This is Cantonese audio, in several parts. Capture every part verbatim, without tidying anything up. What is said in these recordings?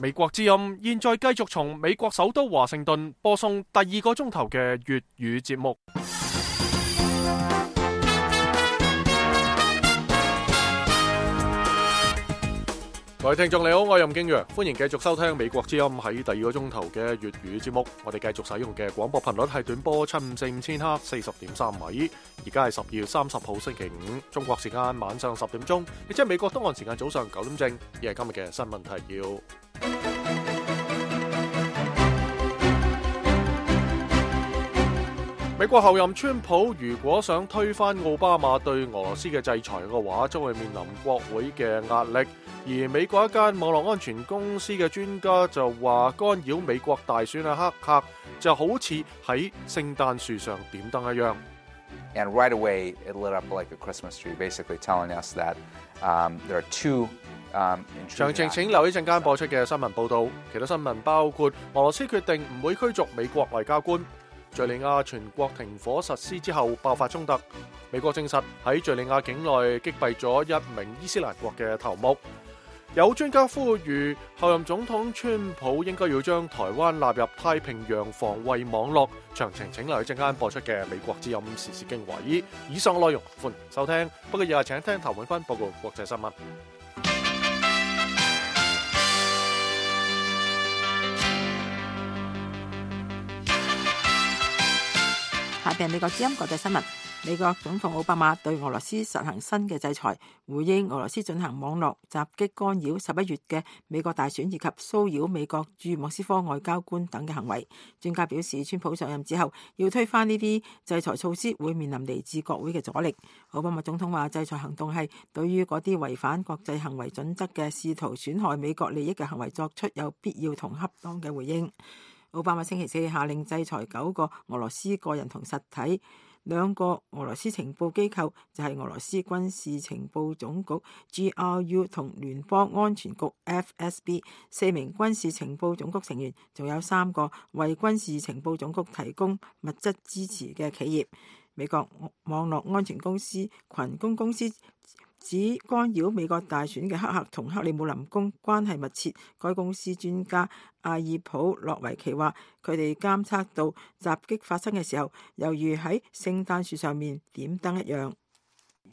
美國之音現在繼續從美國首都華盛頓播送第二個鐘頭嘅粵語節目。各位聽眾你好，我係任敬陽，歡迎繼續收聽美國之音喺第二個鐘頭嘅粵語節目。我哋繼續使用嘅廣播頻率係短波七五四五千赫四十點三米。而家係十二月三十號星期五，中國時間晚上十點鐘，亦即係美國東岸時間早上九點正。亦係今日嘅新聞提要。美國後任川普如果想推翻奧巴馬對俄羅斯嘅制裁嘅話，將會面臨國會嘅壓力。而美國一間網絡安全公司嘅專家就話，干擾美國大選嘅黑客就好似喺聖誕樹上點燈一樣。And right away, it lit up like a Christmas tree, basically telling us that um, there are two. 詳情請留意陣間播出嘅新聞報導。其他新聞包括俄羅斯決定唔會驅逐美國外交官。敘利亞全國停火實施之後爆發衝突。美國證實喺敘利亞境內擊斃咗一名伊斯蘭國嘅頭目。有專家呼籲後任總統川普應該要將台灣納入太平洋防衛網絡。詳情請留意陣間播出嘅美國之音時事經緯。以上內容歡迎收聽，不過日日請聽譚永芬報告國際新聞。下邊美國之音國際新聞。美國總統奧巴馬對俄羅斯實行新嘅制裁，回應俄羅斯進行網絡襲擊干擾十一月嘅美國大選以及騷擾美國駐莫斯科外交官等嘅行為。專家表示，川普上任之後要推翻呢啲制裁措施，會面臨嚟自國會嘅阻力。奧巴馬總統話，制裁行動係對於嗰啲違反國際行為準則嘅試圖損害美國利益嘅行為作出有必要同恰當嘅回應。奧巴馬星期四下令制裁九個俄羅斯個人同實體。兩個俄羅斯情報機構就係俄羅斯軍事情報總局 G R U 同聯邦安全局 F S B， 四名軍事情報總局成員，仲有三個為軍事情報總局提供物質支持嘅企業。美國網絡安全公司群公公司指干擾美國大選嘅黑客同克里姆林宮關係密切。該公司專家阿爾普洛維奇話，佢哋監測到襲擊發生嘅時候，猶如喺聖誕樹上面點燈一樣。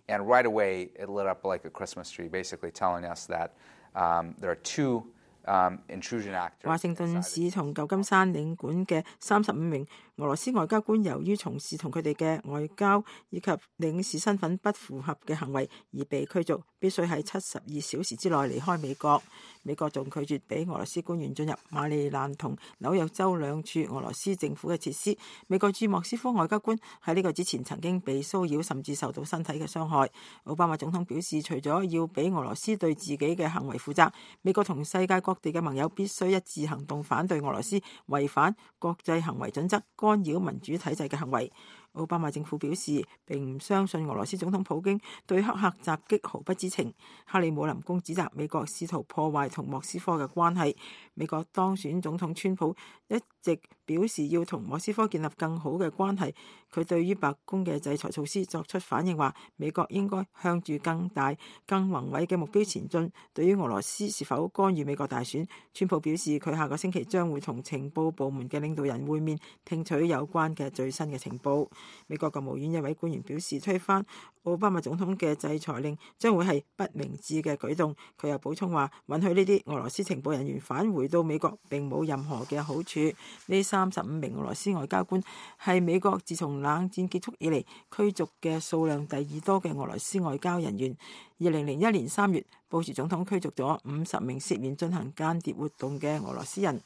And right away, it lit up like a Christmas tree, basically telling us that um, there are two um, intrusion actors. 華盛頓市從舊金山領館嘅三十五名俄羅斯外交官，由於從事同佢哋嘅外交以及領事身份不符合嘅行為而被驅逐，必須喺七十二小時之內離開美國。美國仲拒絕俾俄羅斯官員進入馬里蘭同紐約州兩處俄羅斯政府嘅設施。美國駐莫斯科外交官喺呢個之前曾經被騷擾，甚至受到身體嘅傷害。奧巴馬總統表示，除咗要俾俄羅斯對自己嘅行為負責，美國同世界各地嘅盟友必須一致行動，反對俄羅斯違反國際行為準則、干擾民主體制嘅行為。奧巴馬政府表示，並唔相信俄羅斯總統普京對黑客襲擊毫不知情。克里姆林宮指責美國試圖破壞同莫斯科嘅關係。美國當選總統川普一直表示要同莫斯科建立更好嘅關係。佢對於白宮嘅制裁措施作出反應，話美國應該向住更大、更宏偉嘅目標前進。對於俄羅斯是否干預美國大選，川普表示佢下個星期將會同情報部門嘅領導人會面，聽取有關嘅最新嘅情報。美國國務院一位官員表示，推翻奧巴馬總統嘅制裁令將會係不明智嘅舉動。佢又補充話，允許呢啲俄羅斯情報人員返回到美國並冇任何嘅好處。呢三十五名俄羅斯外交官係美國自從冷戰結束以嚟驅逐嘅數量第二多嘅俄羅斯外交人員。二零零一年三月，布殊總統驅逐咗五十名涉嫌進行間諜活動嘅俄羅斯人。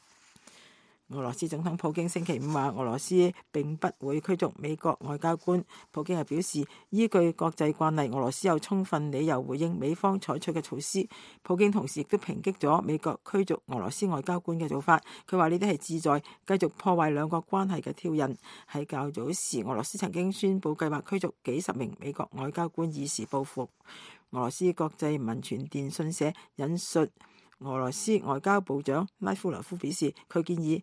俄羅斯總統普京星期五話，俄羅斯並不會驅逐美國外交官。普京又表示，依據國際慣例，俄羅斯有充分理由回應美方採取嘅措施。普京同時亦都抨擊咗美國驅逐俄羅斯外交官嘅做法。佢話呢啲係旨在繼續破壞兩國關係嘅挑釁。喺較早時，俄羅斯曾經宣布計劃驅逐幾十名美國外交官以示報復。俄羅斯國際民傳電訊社引述俄羅斯外交部長拉夫羅夫表示，佢建議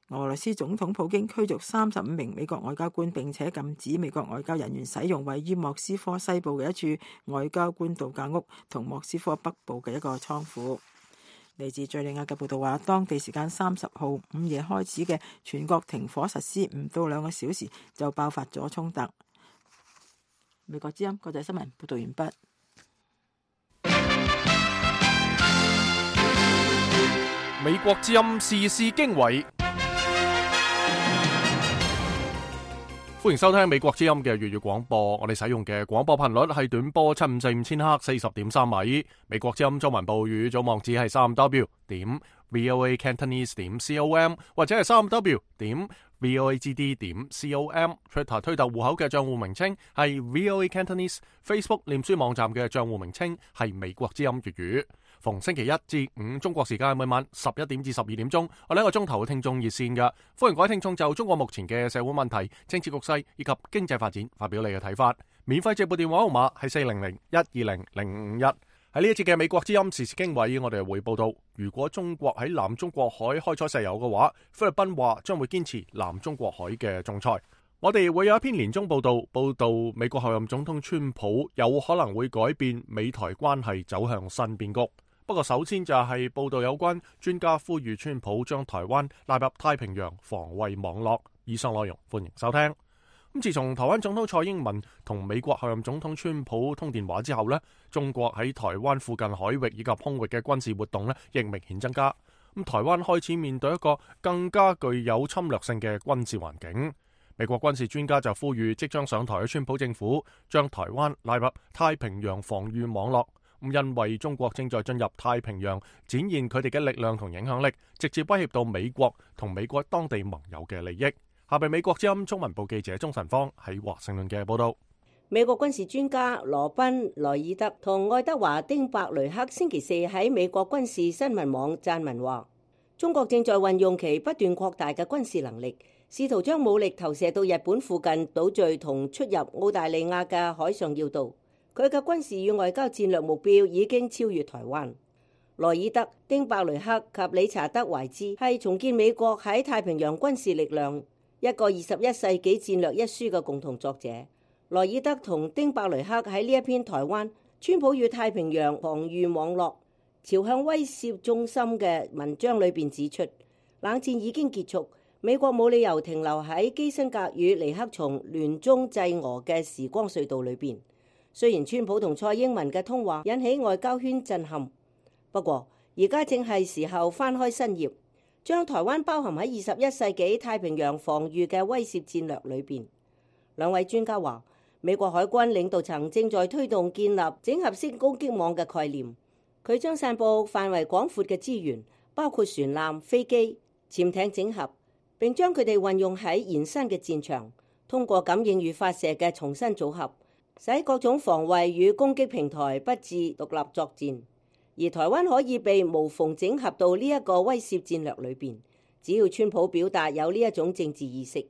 俄羅斯總統普京驅逐三十五名美國外交官，並且禁止美國外交人員使用位於莫斯科西部嘅一處外交官度假屋同莫斯科北部嘅一個倉庫。嚟自敘利亞嘅報道話，當地時間三十號午夜開始嘅全國停火實施唔到兩個小時就爆發咗衝突。美國之音國際新聞報道完畢。美國之音時事經緯，歡迎收聽美國之音嘅粵語廣播。我哋使用嘅廣播頻率係短波七五四五千赫四十點三米。美國之音中文部語組網址係三 w 點 voa cantonese 點 com 或者係三 w 點 voagd 點 com。Twitter 推特戶口嘅賬戶名稱係 voa cantonese。Facebook 臉書網站嘅賬戶名稱係美國之音粵語。逢星期一至五中國時間每晚十一點至十二點鐘，我哋一個鐘頭嘅聽眾熱線嘅，歡迎各位聽眾就中國目前嘅社會問題、政治局勢以及經濟發展發表你嘅睇法。免費直撥電話號碼係四零零一二零零五五一。喺呢一節嘅美國之音時事經緯，我哋會報道，如果中國喺南中國海開採石油嘅話，菲律賓話將會堅持南中國海嘅仲裁。我哋會有一篇年終報道，報道美國候任總統川普有可能會改變美台關係走向新變局。不過首先就係報道有關專家呼籲川普將台灣納入太平洋防衛網絡。以上內容歡迎收聽。咁自從台灣總統蔡英文同美國候任總統川普通電話之後呢，中國喺台灣附近海域以及空域嘅軍事活動呢亦明顯增加。咁台灣開始面對一個更加具有侵略性嘅軍事環境。美國軍事專家就呼籲即將上台嘅川普政府將台灣納入太平洋防禦網絡。因為中國正在進入太平洋，展現佢哋嘅力量同影響力，直接威脅到美國同美國當地盟友嘅利益。下邊美國之音中文部記者鍾晨芳喺華盛頓嘅報道。美國軍事專家羅賓萊爾德同愛德華丁伯雷克星期四喺美國軍事新聞網撰文話，中國正在運用其不斷擴大嘅軍事能力，試圖將武力投射到日本附近島嶼同出入澳大利亞嘅海上要道。佢嘅軍事與外交戰略目標已經超越台灣。萊爾德、丁伯雷克及理查德懷茲係重建美國喺太平洋軍事力量一個二十一世紀戰略一書嘅共同作者。萊爾德同丁伯雷克喺呢一篇台灣川普與太平洋防禦網絡朝向威懾中心嘅文章裏邊指出，冷戰已經結束，美國冇理由停留喺基辛格與尼克松聯中制俄嘅時光隧道裏邊。雖然川普同蔡英文嘅通話引起外交圈震撼，不過而家正係時候翻開新頁，將台灣包含喺二十一世紀太平洋防禦嘅威懾戰略裏邊。兩位專家話，美國海軍領導層正在推動建立整合式攻擊網嘅概念，佢將散佈範圍廣闊嘅資源，包括船艦、飛機、潛艇整合，並將佢哋運用喺延伸嘅戰場，通過感應與發射嘅重新組合，使各種防衛與攻擊平台不致獨立作戰，而台灣可以被無縫整合到呢一個威懾戰略裏邊。只要川普表達有呢一種政治意識，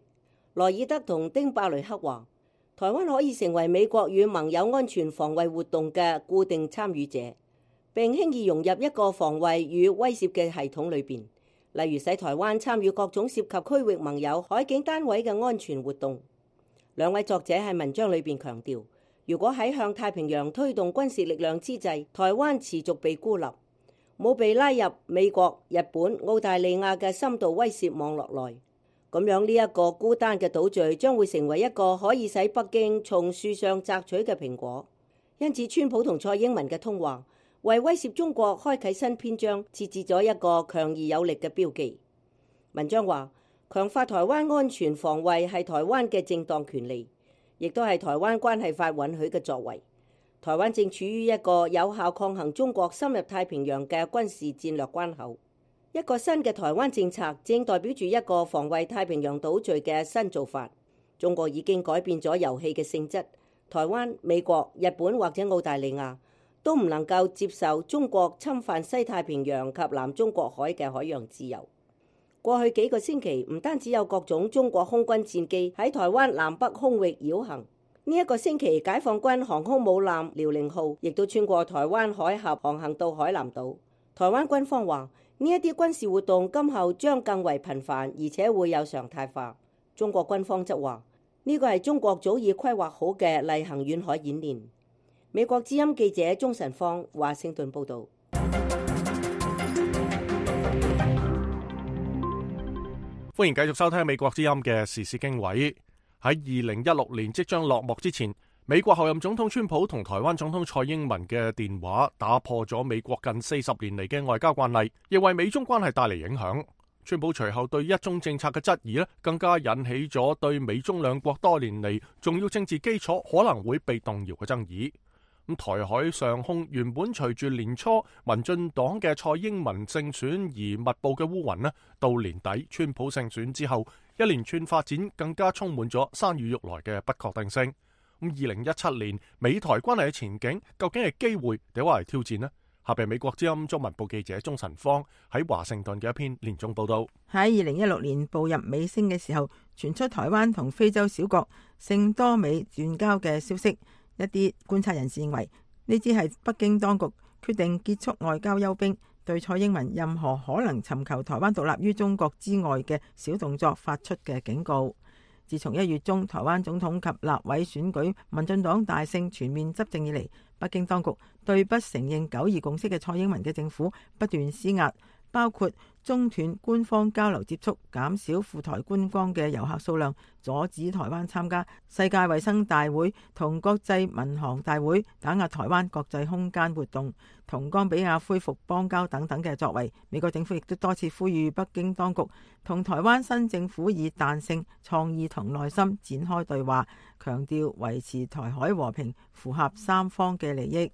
萊爾德同丁伯雷克話，台灣可以成為美國與盟友安全防衛活動嘅固定參與者，並輕易融入一個防衛與威懾嘅系統裏邊，例如使台灣參與各種涉及區域盟友海警單位嘅安全活動。兩位作者喺文章裏邊強調，如果喺向太平洋推動軍事力量之際，台灣持續被孤立，冇被拉入美國、日本、澳大利亞嘅深度威懾網絡內，咁樣呢一個孤單嘅島嶼將會成為一個可以使北京從樹上摘取嘅蘋果。因此，川普同蔡英文嘅通話為威懾中國開啟新篇章設置咗一個強而有力嘅標記。文章話，強化台灣安全防衛係台灣嘅正當權利，亦都係台灣關係法允許嘅作為。台灣正處於一個有效抗衡中國深入太平洋嘅軍事戰略關口。一個新嘅台灣政策正代表住一個防衛太平洋島嶼嘅新做法。中國已經改變咗遊戲嘅性質，台灣、美國、日本或者澳大利亞都唔能夠接受中國侵犯西太平洋及南中國海嘅海洋自由。過去幾個星期，唔單止有各種中國空軍戰機喺台灣南北空域繞行，呢一個星期解放軍航空母艦遼寧號亦都穿過台灣海峽航行到海南島。台灣軍方話，呢一啲軍事活動今後將更為頻繁，而且會有常態化。中國軍方則話，呢個係中國早已規劃好嘅例行遠海演練。美國之音記者鍾晨芳華盛頓報道。歡迎繼續收聽美國之音嘅時事經緯。喺二零一六年即將落幕之前，美國候任總統川普同台灣總統蔡英文嘅電話打破咗美國近四十年嚟嘅外交慣例，亦為美中關係帶嚟影響。川普隨後對一中政策嘅質疑咧，更加引起咗對美中兩國多年嚟重要政治基礎可能會被動搖嘅爭議。咁台海上空原本隨住年初民進黨嘅蔡英文勝選而密佈嘅烏雲咧，到年底川普勝選之後，一連串發展更加充滿咗山雨欲來嘅不確定性。咁二零一七年美台關係嘅前景究竟係機會定係挑戰呢？下邊美國之音中文部記者鍾晨芳喺華盛頓嘅一篇連中報道。喺二零一六年步入尾聲嘅時候，傳出台灣同非洲小國聖多美斷交嘅消息。一啲觀察人士認為，呢啲係北京當局決定結束外交休兵，對蔡英文任何可能尋求台灣獨立於中國之外嘅小動作發出嘅警告。自從一月中台灣總統及立委選舉民進黨大勝全面執政以嚟，北京當局對不承認九二共識嘅蔡英文嘅政府不斷施壓，包括中斷官方交流接觸、減少赴台觀光嘅遊客數量、阻止台灣參加世界衛生大會同國際民航大會、打壓台灣國際空間活動、同岡比亞恢復邦交等等嘅作為。美國政府亦都多次呼籲北京當局同台灣新政府以彈性、創意同耐心展開對話，強調維持台海和平符合三方嘅利益。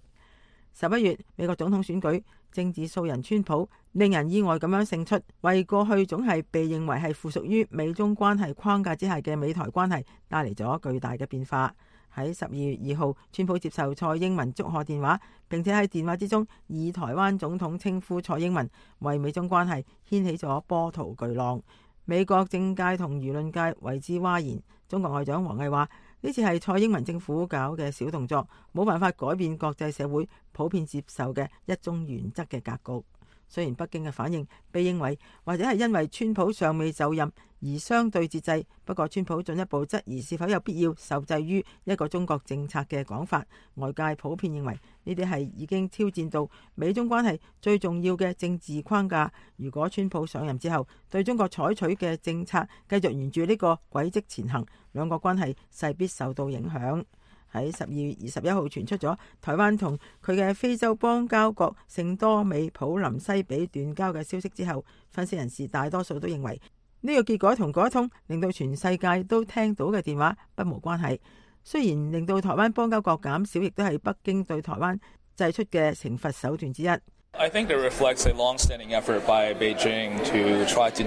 十一月美國總統選舉，政治素人川普令人意外咁樣勝出，為過去總係被認為係附屬於美中關係框架之下嘅美台關係帶嚟咗巨大嘅變化。喺十二月二號，川普接受蔡英文祝賀電話，並且喺電話之中以台灣總統稱呼蔡英文，為美中關係掀起咗波濤巨浪。美國政界同輿論界為之譁然。中國外長王毅話：呢次係蔡英文政府搞嘅小動作，冇辦法改變國際社會普遍接受嘅一中原則嘅格局。雖然北京嘅反應被認為或者係因為川普尚未就任而相對節制，不過川普進一步質疑是否有必要受制於一個中國政策嘅講法，外界普遍認為呢啲係已經挑戰到美中關係最重要嘅政治框架。如果川普上任之後對中國採取嘅政策繼續沿住呢個軌跡前行，兩國關係勢必受到影響。喺十二月二十一號傳出咗台灣同佢嘅非洲邦交國聖多美普林西比斷交嘅消息之後，分析人士大多數都認為呢個結果同嗰一通令到全世界都聽到嘅電話不無關係。雖然令到台灣邦交國減少，亦都係北京對台灣祭出嘅懲罰手段之一。I think it reflects a long-standing effort by Beijing to try to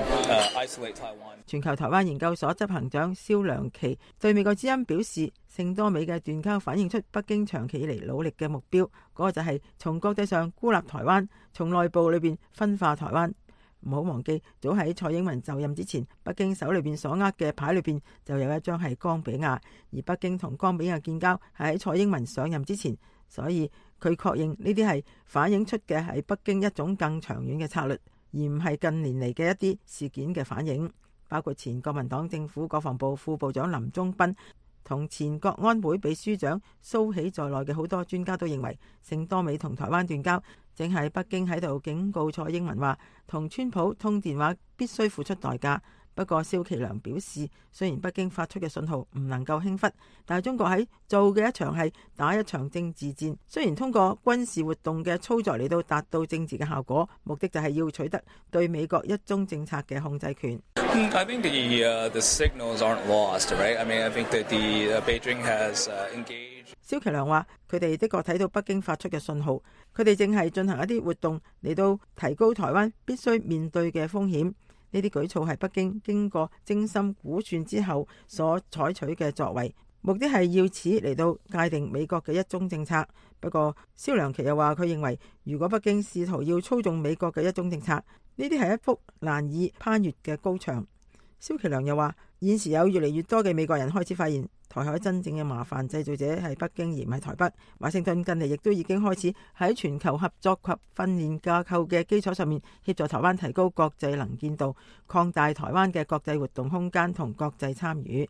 isolate Taiwan. 全球台灣研究所執行長蕭良琪對美國之音表示，聖多美嘅斷交反映出北京長期以嚟努力嘅目標，嗰、那個就係從國際上孤立台灣，從內部裏邊分化台灣。唔好忘記，早喺蔡英文就任之前，北京手裏邊所握嘅牌裏邊就有一張係岡比亞，而北京同岡比亞建交係喺蔡英文上任之前，所以佢確認呢啲係反映出嘅係北京一種更長遠嘅策略，而唔係近年嚟嘅一啲事件嘅反應。包括前國民黨政府國防部副部長林忠斌同前國安會秘書長蘇喜在內嘅好多專家都認為，聖多美同台灣斷交正係北京喺度警告蔡英文話，同川普通電話必須付出代價。不過蕭其良表示，雖然北京發出嘅信號唔能夠輕忽，但係中國喺做嘅一場係打一場政治戰。雖然通過軍事活動嘅操作嚟到達到政治嘅效果，目的就係要取得對美國一中政策嘅控制權。I think the, uh, the signals aren't lost, right? I mean, I think that the, uh, Beijing has, uh, engaged. 蕭其良話：佢哋的確睇到北京發出嘅信號，佢哋正係進行一啲活動嚟到提高台灣必須面對嘅風險。呢啲舉措係北京經過精心估算之後所採取嘅作為，目的係要此嚟到界定美國嘅一中政策。不過蕭良琪又話，佢認為如果北京試圖要操縱美國嘅一中政策，呢啲係一幅難以攀越嘅高牆。蕭其良又話，現時有越嚟越多嘅美國人開始發現，台海真正嘅麻煩製造者係北京而唔係台北。華盛頓近嚟亦都已經開始喺全球合作及訓練架構嘅基礎上面協助台灣提高國際能見度，擴大台灣嘅國際活動空間同國際參與。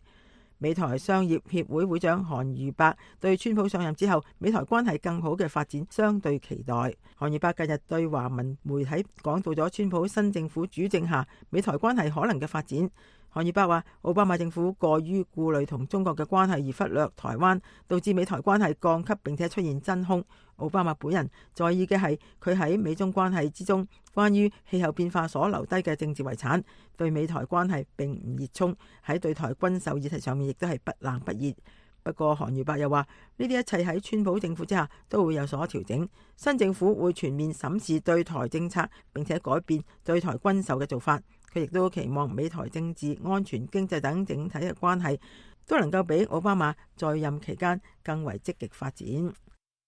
美台商業協會會長韓如伯對川普上任之後美台關係更好嘅發展相對期待。韓如伯近日對華文媒體講到咗川普新政府主政下美台關係可能嘅發展。韓如伯話，奧巴馬政府過於顧慮同中國嘅關係而忽略台灣，導致美台關係降級並且出現真空。奧巴馬本人在意嘅係佢喺美中關係之中關於氣候變化所留低嘅政治遺產，對美台關係並唔熱衷，喺對台軍售議題上面亦都係不冷不熱。不過韓如伯又話，呢啲一切喺川普政府之下都會有所調整，新政府會全面審視對台政策並且改變對台軍售嘅做法。佢亦都期望美台政治、安全、經濟等整體嘅關係都能夠比奧巴馬在任期間更為積極發展。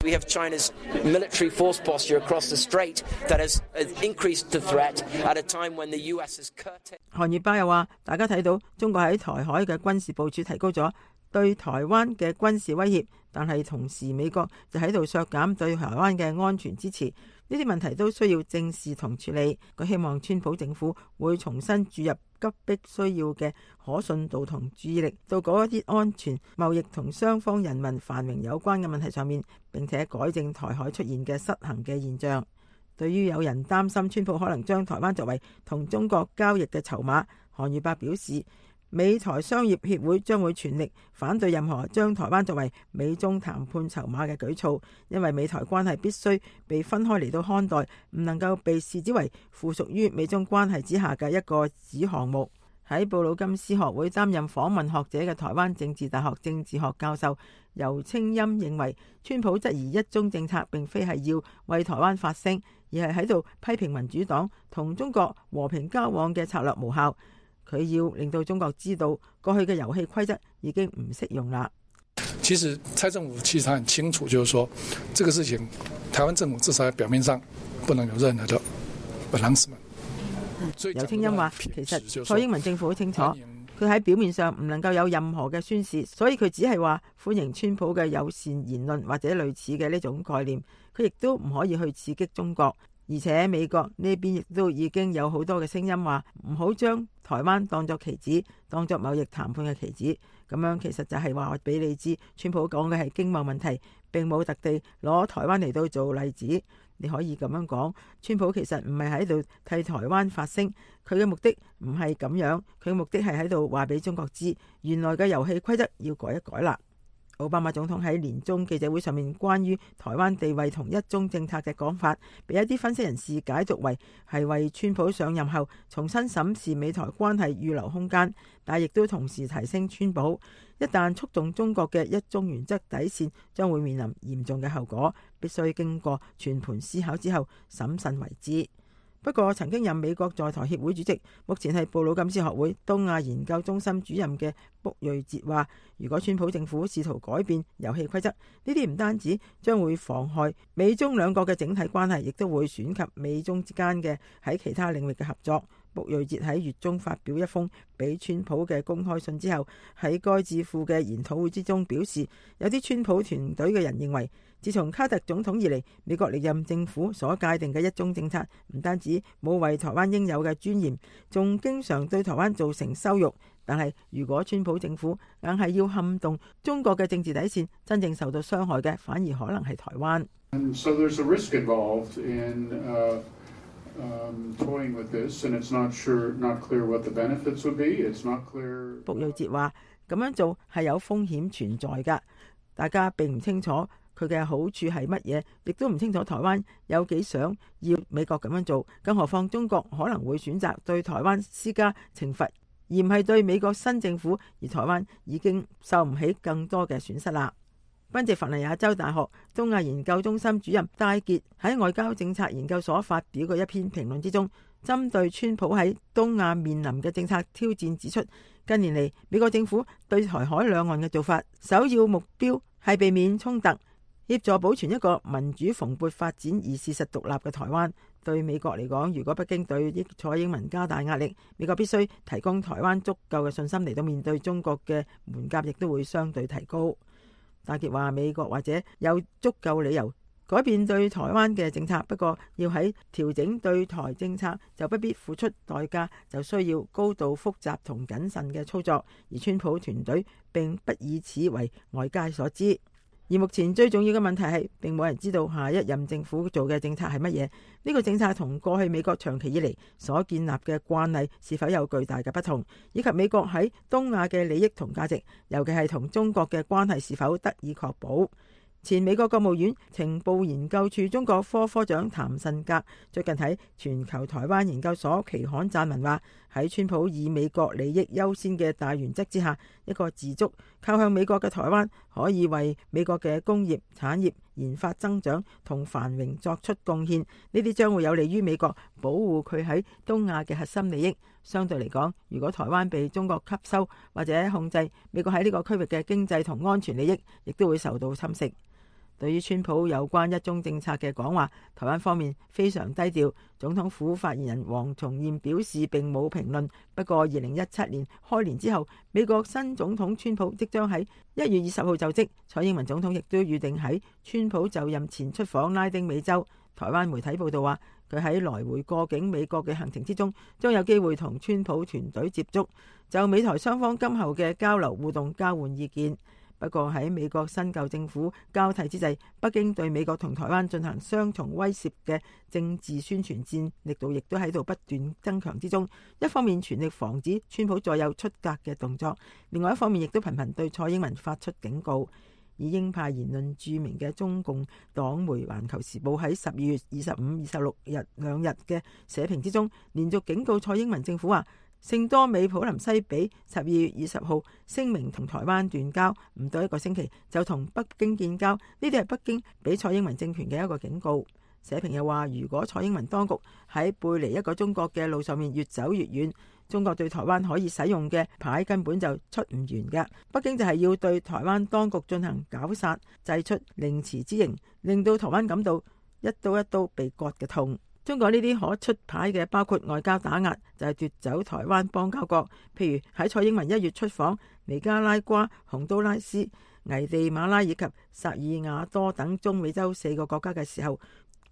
We have China's military force posture across the strait that has increased the threat at a time when the U S is curtailed. 韓如伯又話，大家睇到中國喺台海嘅軍事部署提高咗對台灣嘅軍事威脅，但係同時美國就喺度削減對台灣嘅安全支持。呢啲問題都需要正視同處理。佢希望川普政府會重新注入急迫需要嘅可信度同注意力到嗰一啲安全、貿易同雙方人民繁榮有關嘅問題上面，並且改正台海出現嘅失衡嘅現象。對於有人擔心川普可能將台灣作為同中國交易嘅籌碼，韓如伯表示，美台商業協會將會全力反對任何將台灣作為美中談判籌碼嘅舉措，因為美台關係必須被分開嚟到看待，唔能夠被視之為附屬於美中關係之下嘅一個子項目。喺布魯金斯學會擔任訪問學者嘅台灣政治大學政治學教授游清音認為，川普質疑一中政策並非係要為台灣發聲，而係喺度批評民主黨同中國和平交往嘅策略無效。佢要令到中國知道過去嘅遊戲規則已經唔適用啦。其實蔡政府其實很清楚，就是說這個事情台灣政府至少喺表面上不能有任何的 announcement。游清音話，其實蔡英文政府好清楚，佢喺表面上唔能夠有任何嘅宣示，所以佢只係話歡迎川普嘅友善言論或者類似嘅呢種概念，佢亦都唔可以去刺激中國。而且美國呢邊亦都已經有好多嘅聲音話唔好將台灣當作棋子，當作貿易談判嘅棋子。咁樣其實就係話俾你知，川普講嘅係經貿問題，並冇特地攞台灣嚟到做例子。你可以咁樣講，川普其實唔係喺度替台灣發聲，佢嘅目的唔係咁樣，佢嘅目的係喺度話俾中國知，原來嘅遊戲規則要改一改啦。奧巴馬總統喺年中記者會上面關於台灣地位同一中政策嘅講法，被一啲分析人士解讀為係為川普上任後重新審視美台關係預留空間，但亦都同時提升川普一旦觸動中國嘅一中原則底線，將會面臨嚴重嘅後果，必須經過全盤思考之後審慎為之。不過，曾經任美國在台協會主席，目前係布魯金斯學會東亞研究中心主任嘅卜瑞哲話，如果川普政府試圖改變遊戲規則，呢啲唔單止將會妨害美中兩國嘅整體關係，亦都會損及美中之間嘅喺其他領域嘅合作。卜瑞哲喺月中發表一封俾川普嘅公開信之後，喺該智庫嘅研討會之中表示，有啲川普團隊嘅人認為，自從卡特總統以嚟，美國歷任政府所界定嘅一中政策唔單止冇為台灣應有嘅尊嚴，仲經常對台灣造成羞辱。但係如果川普政府硬係要撼動中國嘅政治底線，真正受到傷害嘅反而可能係台灣。So there's a risk involved in, uh, um, toying with this, and it's not sure, not clear what the benefits would be. It's not clear. 卜瑞哲話：咁樣做係有風險存在㗎，大家並唔清楚佢嘅好處係乜嘢，亦都唔清楚台灣有幾想要美國咁樣做。更何況中國可能會選擇對台灣施加懲罰，而唔係對美國新政府，而台灣已經受唔起更多嘅損失啦。賓夕法尼亞州大學東亞研究中心主任戴傑喺外交政策研究所發表嘅一篇評論之中，針對川普喺東亞面臨嘅政策挑戰指出，近年嚟美國政府對台海兩岸嘅做法，首要目標係避免衝突，協助保存一個民主蓬勃發展而事實獨立嘅台灣。對美國嚟講，如果北京對蔡英文加大壓力，美國必須提供台灣足夠嘅信心嚟到面對中國嘅門檻，亦都會相對提高。戴傑話：美國或者有足夠理由改變對台灣嘅政策，不過要喺調整對台政策就不必付出代價，就需要高度複雜同謹慎嘅操作，而川普團隊並不以此為外界所知。而目前最重要嘅問題係，並冇人知道下一任政府做嘅政策係乜嘢。呢個政策同過去美國長期以嚟所建立嘅慣例是否有巨大嘅不同，以及美國喺東亞嘅利益同價值，尤其係同中國嘅關係是否得以確保。前美國國務院情報研究處中國科科長譚慎格最近喺全球台灣研究所期刊撰文話，喺川普以美國利益優先嘅大原則之下，一個自足靠向美國嘅台灣可以為美國嘅工業產業研發增長同繁榮作出貢獻，呢啲將會有利於美國保護佢喺東亞嘅核心利益。相對嚟講，如果台灣被中國吸收或者控制，美國喺呢個區域嘅經濟同安全利益亦都會受到侵蝕。對於川普有關一中政策嘅講話，台灣方面非常低調。總統府發言人黃重諺表示並冇評論。不過二零一七年開年之後，美國新總統川普即將喺一月二十號就職，蔡英文總統亦都預定喺川普就任前出訪拉丁美洲。台灣媒體報道話，佢喺來回過境美國嘅行程之中，將有機會同川普團隊接觸，就美台雙方今後嘅交流互動交換意見。不過喺美國新舊政府交替之際，北京對美國同台灣進行雙重威懾嘅政治宣傳戰力度亦都喺度不斷增強之中。一方面全力防止川普再有出格嘅動作，另外一方面亦都頻頻對蔡英文發出警告。以鷹派言論著名嘅中共黨媒《環球時報》喺十二月二十五、二十六日兩日嘅社評之中，連續警告蔡英文政府話，聖多美普林西比十二月二十號聲明同台灣斷交，唔到一個星期就同北京建交，呢啲係北京俾蔡英文政權嘅一個警告。社評又話，如果蔡英文當局喺背離一個中國嘅路上面越走越遠，中國對台灣可以使用嘅牌根本就出唔完嘅。北京就係要對台灣當局進行絞殺，祭出凌遲之刑，令到台灣感到一刀一刀被割嘅痛。中國呢啲可出牌嘅包括外交打壓，就係奪走台灣邦交國，譬如喺蔡英文一月出訪尼加拉瓜、洪都拉斯、危地馬拉以及薩爾瓦多等中美洲四個國家嘅時候，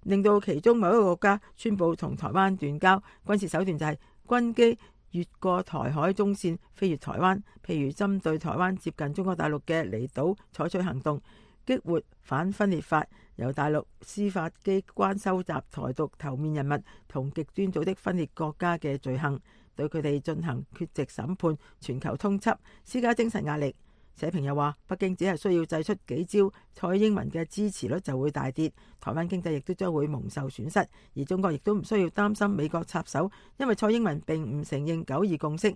令到其中某一個國家宣布同台灣斷交，軍事手段就係軍機越過台海中線飛越台灣，譬如針對台灣接近中國大陸嘅離島採取行動，激活反分裂法，由大陸司法機關收集台獨頭面人物同極端組織分裂國家嘅罪行，對佢哋進行缺席審判、全球通緝，施加精神壓力。社評又話，北京只係需要祭出幾招，蔡英文嘅支持率就會大跌，台灣經濟亦都將會蒙受損失，而中國亦都唔需要擔心美國插手，因為蔡英文並唔承認九二共識。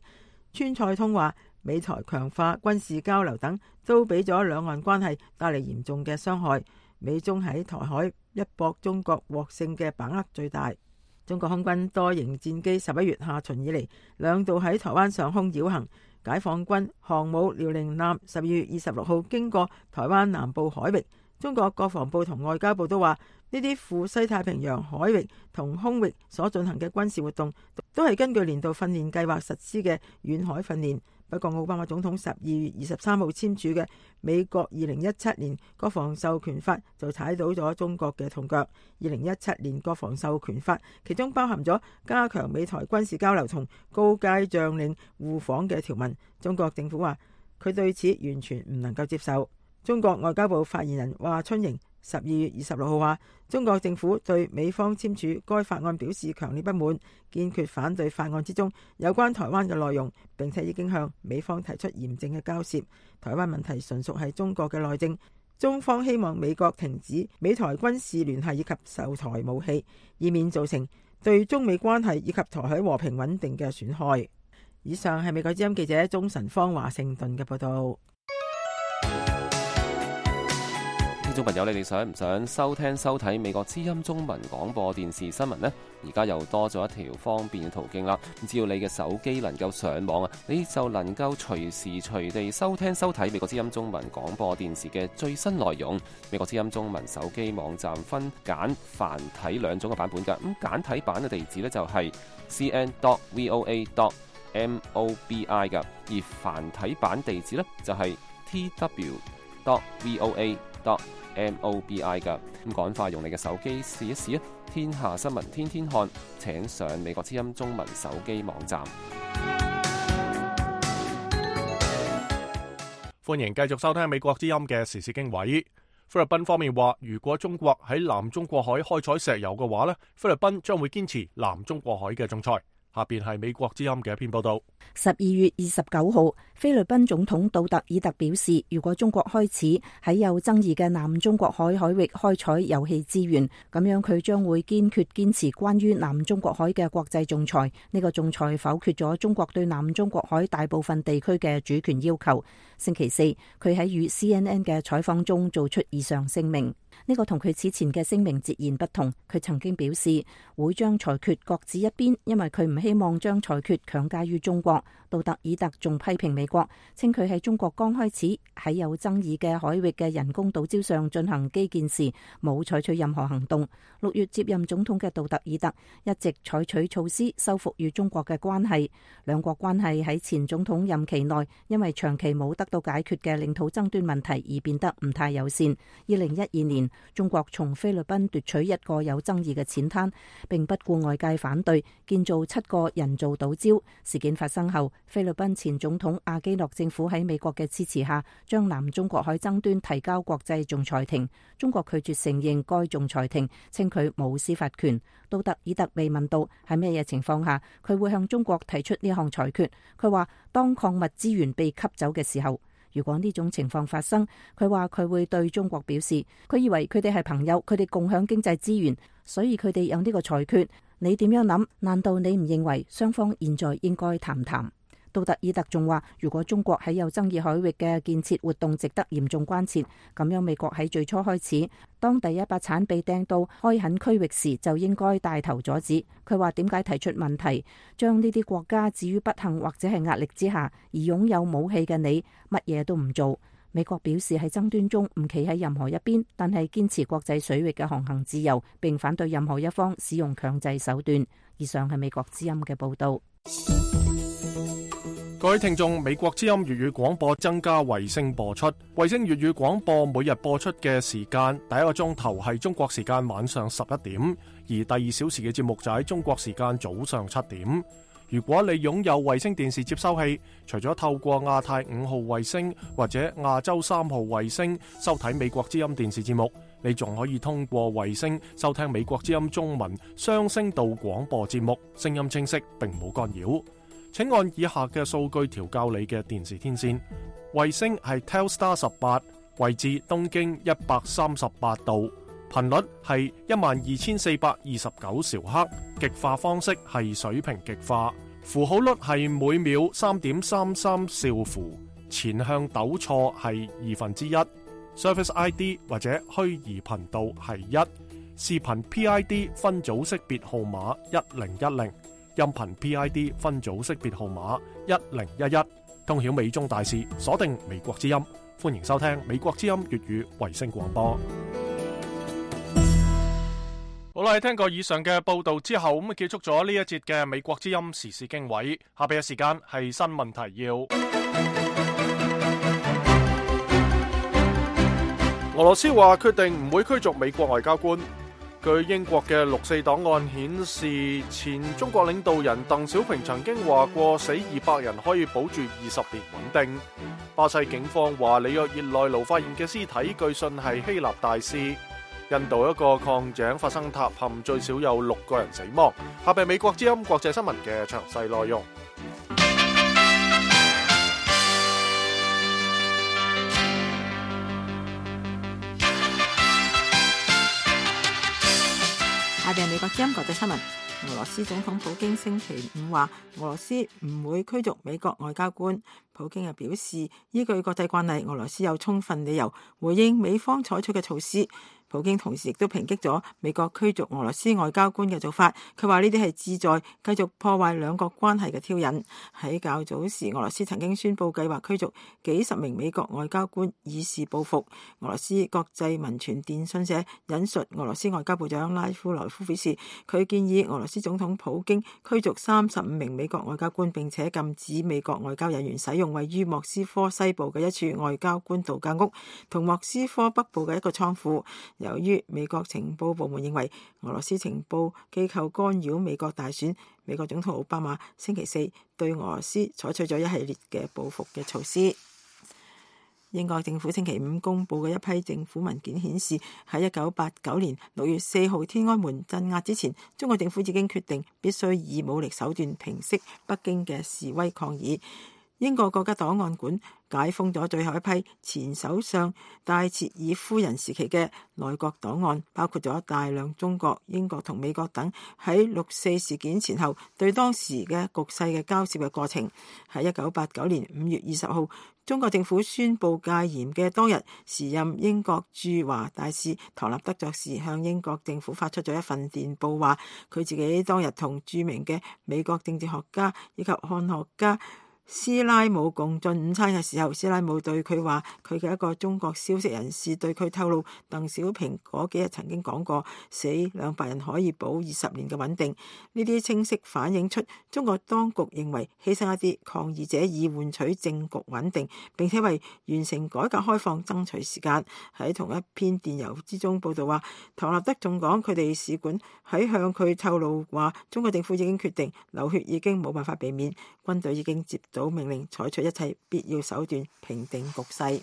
川蔡通話美台強化軍事交流等，都俾咗兩岸關係帶嚟嚴重嘅傷害。美中喺台海一搏，中國獲勝嘅把握最大。中國空軍多型戰機十一月下旬以嚟兩度喺台灣上空繞行。解放軍航母遼寧艦十二月二十六號經過台灣南部海域，中國國防部同外交部都話，呢啲赴西太平洋海域同空域所進行嘅軍事活動，都係根據年度訓練計劃實施嘅遠海訓練。不過奧巴馬總統十二月二十三號簽署嘅美國二零一七年國防授權法就踩到咗中國嘅痛腳。二零一七年國防授權法其中包含咗加強美台軍事交流同高階將領互訪嘅條文，中國政府話佢對此完全唔能夠接受。中國外交部發言人華春瑩十二月二十六號話，中國政府對美方簽署該法案表示強烈不滿，堅決反對法案之中有關台灣嘅內容，並且已經向美方提出嚴正嘅交涉。台灣問題純屬係中國嘅內政，中方希望美國停止美台軍事聯繫以及售台武器，以免造成對中美關係以及台海和平穩定嘅損害。以上係美國之音記者鍾晨芳華盛頓嘅報道。聽眾朋友，你哋想唔想收聽收睇美國之音中文廣播電視新聞呢？而家又多咗一條方便嘅途徑啦！只要你嘅手機能夠上網啊，你就能夠隨時隨地收聽收睇美國之音中文廣播電視嘅最新內容。美國之音中文手機網站分簡繁體兩種嘅版本㗎。咁簡體版嘅地址呢，就係 c n dot voa dot mobi 㗎，而繁體版地址呢，就係 t w dot voa dot M O B I 㗎。咁趕快用你嘅手機試一試啊！天下新聞天天看，請上美國之音中文手機網站。歡迎繼續收聽美國之音嘅時事經緯。菲律賓方面話，如果中國喺南中國海開採石油嘅話呢，菲律賓將會堅持南中國海嘅仲裁。下邊係美國之音嘅一篇報道。十二月二十九號，菲律賓總統杜特爾特表示，如果中國開始喺有爭議嘅南中國海海域開採油氣資源，咁樣佢將會堅決堅持關於南中國海嘅國際仲裁。呢個仲裁否決咗中國對南中國海大部分地區嘅主權要求。星期四，佢喺與 C N N 嘅採訪中做出以上聲明。呢個同佢此前嘅聲明截然不同。佢曾經表示會將裁決擱置一邊，因為佢唔希望將裁決強加於中國。杜特爾特仲批評美國，稱佢喺中國剛開始喺有爭議嘅海域嘅人工島礁上進行基建時，冇採取任何行動。六月接任總統嘅杜特爾特一直採取措施修復與中國嘅關係。兩國關係喺前總統任期內，因為長期冇得到解決嘅領土爭端問題而變得唔太友善。二零一二年，中國從菲律賓奪取一個有爭議嘅淺灘，並不顧外界反對，建造七個人造島礁。事件發生後，菲律賓前總統阿基諾政府喺美國嘅支持下，將南中國海爭端提交國際仲裁庭。中國拒絕承認該仲裁庭，稱佢冇司法權。杜特爾特被問到喺咩嘢情況下佢會向中國提出呢項裁決，佢話當礦物資源被吸走嘅時候。如果呢種情況發生，佢話佢會對中國表示，佢以為佢哋係朋友，佢哋共享經濟資源，所以佢哋有呢個裁決。你點樣諗？難道你唔認為雙方現在應該談談？杜特爾特仲話，如果中國喺有爭議海域嘅建設活動值得嚴重關切，咁樣美國喺最初開始，當第一把鏟被掟到開墾區域時，就應該帶頭阻止。佢話點解提出問題，將呢啲國家置於不幸或者係壓力之下，而擁有武器嘅你乜嘢都唔做？美國表示喺爭端中唔企喺任何一邊，但係堅持國際水域嘅航行自由，並反對任何一方使用強制手段。以上係美國之音嘅報道。各位聽眾，美國之音粵語廣播增加衛星播出。衛星粵語廣播每日播出嘅時間，第一個鐘頭係中國時間晚上十一點，而第二小時嘅節目就喺中國時間早上七點。如果你擁有衛星電視接收器，除咗透過亞太五號衛星或者亞洲三號衛星收睇美國之音電視節目，你仲可以通過衛星收聽美國之音中文雙聲道廣播節目，聲音清晰並冇干擾。請按以下嘅數據調校你嘅電視天線。衛星係 Telstar 十八，位置東經一百三十八度，頻率係一萬二千四百二十九兆赫，極化方式係水平極化，符號率係每秒三點三三兆符，前向抖錯係二分之一，Service I D 或者虛擬頻道係一，視頻 P I D 分組識別號碼一零一零。音頻 P I D 分組識別號碼一零一一，通曉美中大事，鎖定美國之音，歡迎收聽美國之音粵語衛星廣播。好啦，聽過以上嘅報道之後，咁啊結束咗呢一節嘅美國之音時事經緯。下邊嘅時間係新聞提要。俄羅斯話決定唔會驅逐美國外交官。據英國嘅六四檔案顯示，前中國領導人鄧小平曾經話過死二百人可以保住二十年穩定。巴西警方話里約熱內盧發現嘅屍體據信係希臘大使。印度一個礦井發生塌陷，最少有六個人死亡。下邊美國之音國際新聞嘅詳細內容。下邊美國之音國際新聞。俄羅斯總統普京星期五話，俄羅斯唔會驅逐美國外交官。普京又表示，依據國際慣例，俄羅斯有充分理由回應美方採取嘅措施。普京同時亦都抨擊咗美國驅逐俄羅斯外交官嘅做法，佢話呢啲係旨在繼續破壞兩國關係嘅挑釁。喺較早時，俄羅斯曾經宣布計劃驅逐幾十名美國外交官以示報復。俄羅斯國際民傳電訊社引述俄羅斯外交部長拉夫羅夫表示，佢建議俄羅斯總統普京驅逐三十五名美國外交官，並且禁止美國外交人員使用位於莫斯科西部嘅一處外交官度假屋同莫斯科北部嘅一個倉庫。由於美國情報部門認為俄羅斯情報機構干擾美國大選，美國總統奧巴馬星期四對俄羅斯採取咗一系列嘅報復嘅措施。英國政府星期五公布嘅一批政府文件顯示，喺一九八九年六月四號天安門鎮壓之前，中國政府已經決定必須以武力手段平息北京嘅示威抗議。英國國家檔案館解封咗最後一批前首相戴切爾夫人時期嘅內閣檔案，包括咗大量中國、英國同美國等喺六四事件前後對當時嘅局勢嘅交涉嘅過程。喺一九八九年五月二十號，中國政府宣布戒嚴嘅當日，時任英國駐華大使唐納德爵士向英國政府發出咗一份電報，話佢自己當日同著名嘅美國政治學家以及漢學家斯拉姆共進午餐嘅時候，斯拉姆對佢話，佢嘅一個中國消息人士對佢透露，鄧小平嗰幾日曾經講過，死兩百人可以保二十年嘅穩定。呢啲清晰反映出中國當局認為犧牲一啲抗議者以換取政局穩定，並且為完成改革開放爭取時間。喺同一篇電郵之中報道話，唐納德仲講佢哋使館喺向佢透露話，中國政府已經決定流血已經冇辦法避免，軍隊已經接到命令採取一切必要手段平定局勢。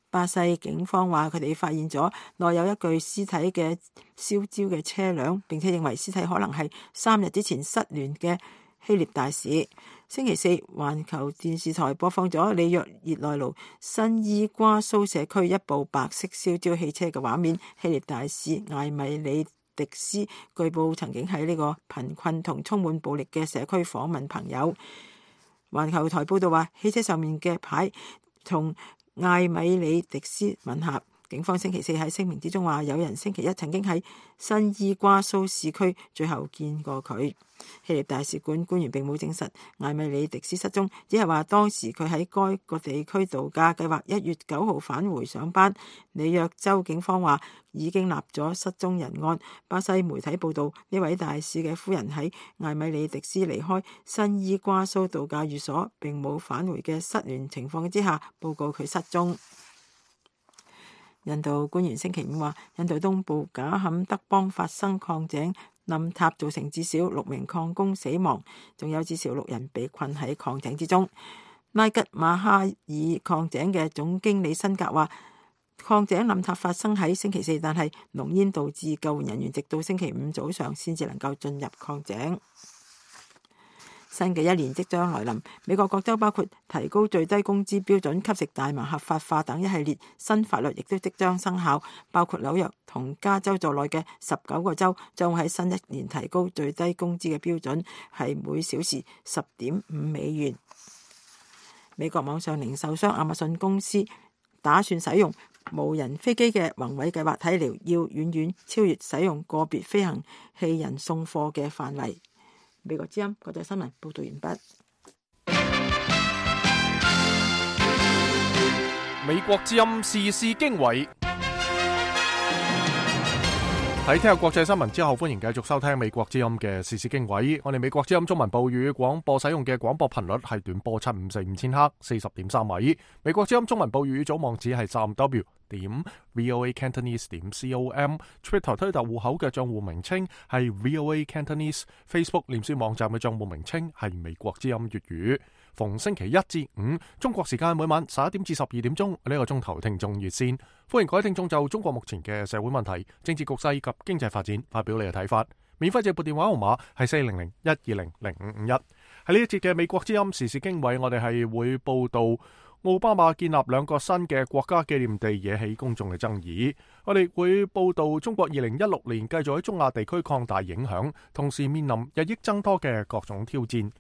巴西警方話佢哋發現咗內有一具屍體嘅燒焦嘅車輛，並且認為屍體可能係三日之前失聯嘅希臘大使。星期四，環球電視台播放咗里約熱內盧新伊瓜蘇社區一部白色燒焦汽車嘅畫面。希臘大使艾米里迪斯據報曾經喺呢個貧困同充滿暴力嘅社區訪問朋友。環球台報道話，汽車上面嘅牌同艾米里迪斯吻合。警方星期四喺聲明之中話，有人星期一曾經喺新伊瓜蘇市區最後見過佢。希臘大使館官員並冇證實艾米里迪斯失蹤，只係話當時佢喺該個地區度假，計劃一月九號返回上班。里約州警方話已經立咗失蹤人案。巴西媒體報道，呢位大使嘅夫人喺艾米里迪斯離開新伊瓜蘇度假寓所並冇返回嘅失聯情況之下，報告佢失蹤。印度官員星期五話，印度東部賈坎德邦發生礦井冧塌，造成至少六名礦工死亡，仲有至少六人被困喺礦井之中。拉吉馬哈爾礦井嘅總經理辛格話，礦井冧塌發生喺星期四，但係濃煙導致救援人員直到星期五早上先至能夠進入礦井。新嘅一年即將來臨，美國各州包括提高最低工資標準、吸食大麻合法化等一系列新法律亦都即將生效，包括紐約同加州在內嘅十九個州將會喺新一年提高最低工資嘅標準，係每小時十點五美元。美國網上零售商亞馬遜公司打算使用無人飛機嘅宏偉計劃，睇嚟要遠遠超越使用個別飛行器人送貨嘅範圍。美國之音國際新聞報道完畢。美國之音時事經緯，喺聽日國際新聞之後，歡迎繼續收聽美國之音嘅時事經緯。我哋美國之音中文部粵語廣播使用嘅廣播頻率係短波七五四五千赫，四十點三米。美國之音中文部粵語組網址係三 W 點 VOA Cantonese 點 com，Twitter 推特戶口嘅賬戶名稱係 VOA Cantonese，Facebook 臉書網站嘅賬戶名稱係美國之音粵語。逢星期一至五中國時間每晚十一點至十二點鐘呢個鐘頭聽眾熱線，歡迎各位聽眾就中國目前嘅社會問題、政治局勢及經濟發展發表你嘅睇法。免費直撥電話號碼係四零零一二零零五五一。喺呢一節嘅美國之音時事經緯，我哋係會報道奧巴馬建立兩個新嘅國家紀念地惹起公眾嘅爭議。我哋會報道中國二零一六年繼續喺中亞地區擴大影響，同時面臨日益增多嘅各種挑戰。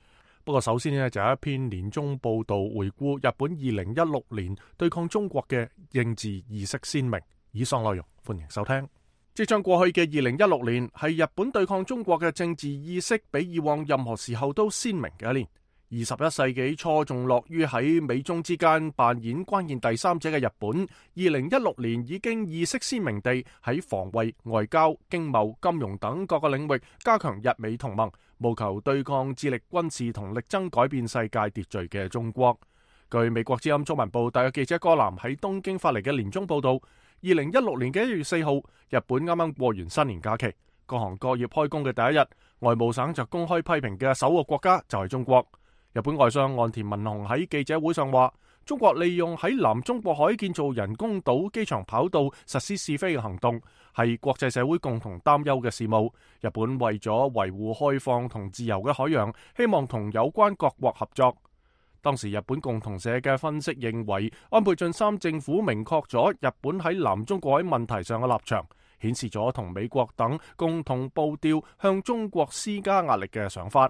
不過首先呢，就有一篇年終報道回顧日本二零一六年對抗中國嘅應治意識鮮明，以上內容歡迎收聽。即將過去嘅二零一六年係日本對抗中國嘅政治意識比以往任何時候都鮮明嘅一年。二十一世紀初仲樂於喺美中之間扮演關鍵第三者嘅日本，二零一六年已經意識鮮明地喺防衛、外交、經貿、金融等各個領域加強日美同盟，務求對抗致力軍事同力爭改變世界秩序嘅中國。據美國之音中文部特約記者戈南喺東京發嚟嘅年終報道，二零一六年嘅一月四號，日本啱啱過完新年假期，各行各業開工嘅第一日，外務省就公開批評嘅首個國家就係中國。日本外相岸田文雄喺記者會上話，中國利用喺南中國海建造人工島、機場跑道實施試飛嘅行動，係國際社會共同擔憂嘅事務。日本為咗維護開放同自由嘅海洋，希望同有關各國合作。當時日本共同社嘅分析認為，安倍晉三政府明確咗日本喺南中國海問題上嘅立場，顯示咗同美國等共同步調向中國施加壓力嘅想法。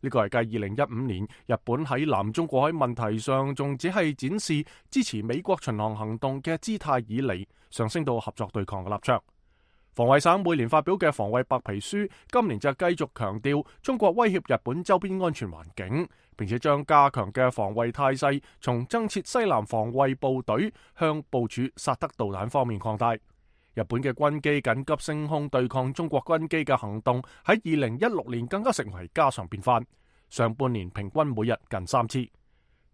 呢個係繼二零一五年日本喺南中國海問題上仲只係展示支持美國巡航行動嘅姿態以嚟，上升到合作對抗嘅立場。防衛省每年發表嘅防衛白皮書，今年就繼續強調中國威脅日本周邊安全環境，並且將加強嘅防衛態勢從增設西南防衛部隊向部署薩德導彈方面擴大。日本嘅軍機緊急升空對抗中國軍機嘅行動喺二零一六年更加成為家常便飯，上半年平均每日近三次。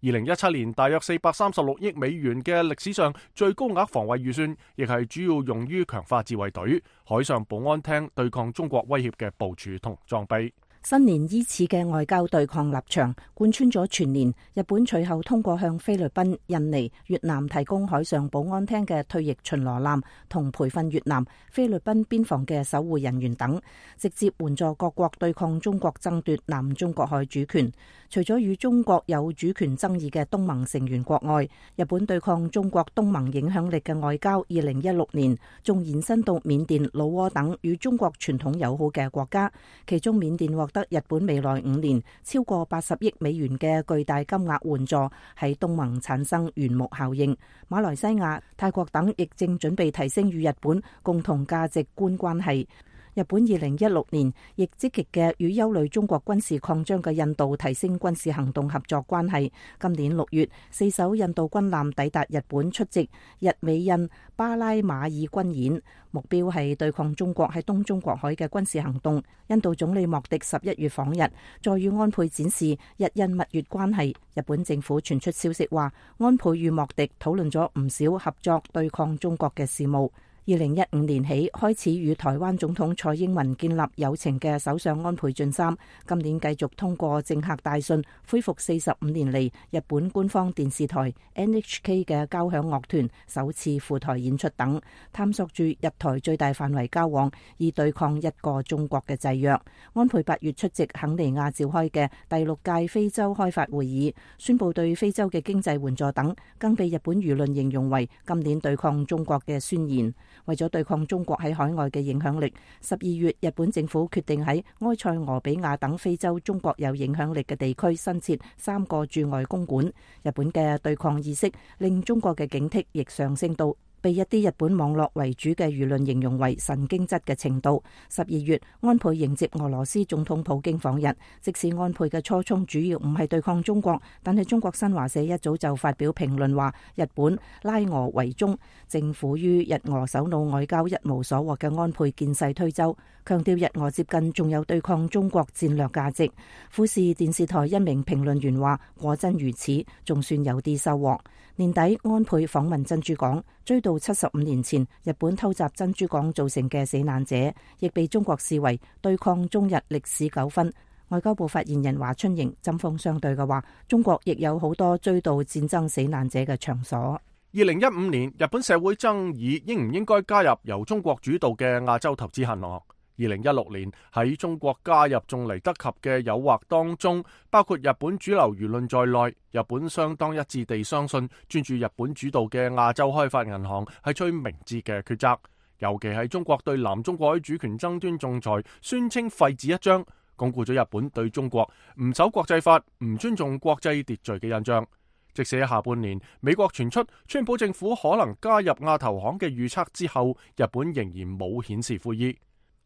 二零一七年大約四百三十六億美元嘅歷史上最高額防衛預算，亦係主要用於強化自衛隊、海上保安廳對抗中國威脅嘅部署同裝備。新年伊始嘅外交對抗立場貫穿咗全年。日本隨後通過向菲律賓、印尼、越南提供海上保安廳嘅退役巡邏艦同培訓越南、菲律賓邊防嘅守護人員等，直接援助各國對抗中國爭奪南中國海主權。除咗與中國有主權爭議嘅東盟成員國外，日本對抗中國東盟影響力嘅外交，二零一六年仲延伸到緬甸、老撾等與中國傳統友好嘅國家，其中緬甸獲得日本未來五年超過八十億美元嘅巨大金額援助，喺東盟產生緣木效應。馬來西亞、泰國等亦正準備提升與日本共同價值觀關係。日本二零一六年亦積極嘅與憂慮中國軍事擴張嘅印度提升軍事行動合作關係。今年六月，四艘印度軍艦抵達日本出席日美印巴拉馬爾軍演，目標係對抗中國喺東中國海嘅軍事行動。印度總理莫迪十一月訪日，再與安倍展示日印蜜月關係。日本政府傳出消息話，安倍與莫迪討論咗唔少合作對抗中國嘅事務。二零一五年起開始與台灣總統蔡英文建立友情嘅首相安倍晉三，今年繼續通過政客大信恢復四十五年嚟日本官方電視台 N H K 嘅交響樂團首次赴台演出等，探索住日台最大範圍交往，以對抗一個中國嘅制約。安倍八月出席肯尼亞召開嘅第六屆非洲開發會議，宣布對非洲嘅經濟援助等，更被日本輿論形容為今年對抗中國嘅宣言。為咗對抗中國喺海外嘅影響力，十二月日本政府決定喺埃塞俄比亞等非洲中國有影響力嘅地區新設三個駐外公館。日本嘅對抗意識令中國嘅警惕亦上升到被一啲日本網絡為主嘅輿論形容為神經質嘅程度。十二月，安倍迎接俄羅斯總統普京訪日。即使安倍嘅初衷主要唔係對抗中國，但係中國新華社一早就發表評論話，日本拉俄為中，政府於日俄首腦外交一無所獲嘅安倍見勢推舟，強調日俄接近仲有對抗中國戰略價值。富士電視台一名評論員話，果真如此，仲算有啲收穫。年底安倍訪問珍珠港，追悼七十五年前日本偷襲珍珠港造成嘅死難者，亦被中國視為對抗中日歷史糾紛。外交部發言人華春瑩針鋒相對嘅話，中國亦有好多追悼戰爭死難者嘅場所。二零一五年日本社會爭議應唔應該加入由中國主導嘅亞洲投資銀行。二零一六年喺中國加入仲嚟得及嘅誘惑當中，包括日本主流輿論在內，日本相當一致地相信專注日本主導嘅亞洲開發銀行係最明智嘅抉擇。尤其係中國對南中國海主權爭端仲裁宣稱廢紙一張，鞏固咗日本對中國唔守國際法、唔尊重國際秩序嘅印象。即使喺下半年美國傳出川普政府可能加入亞投行嘅預測之後，日本仍然冇顯示悔意。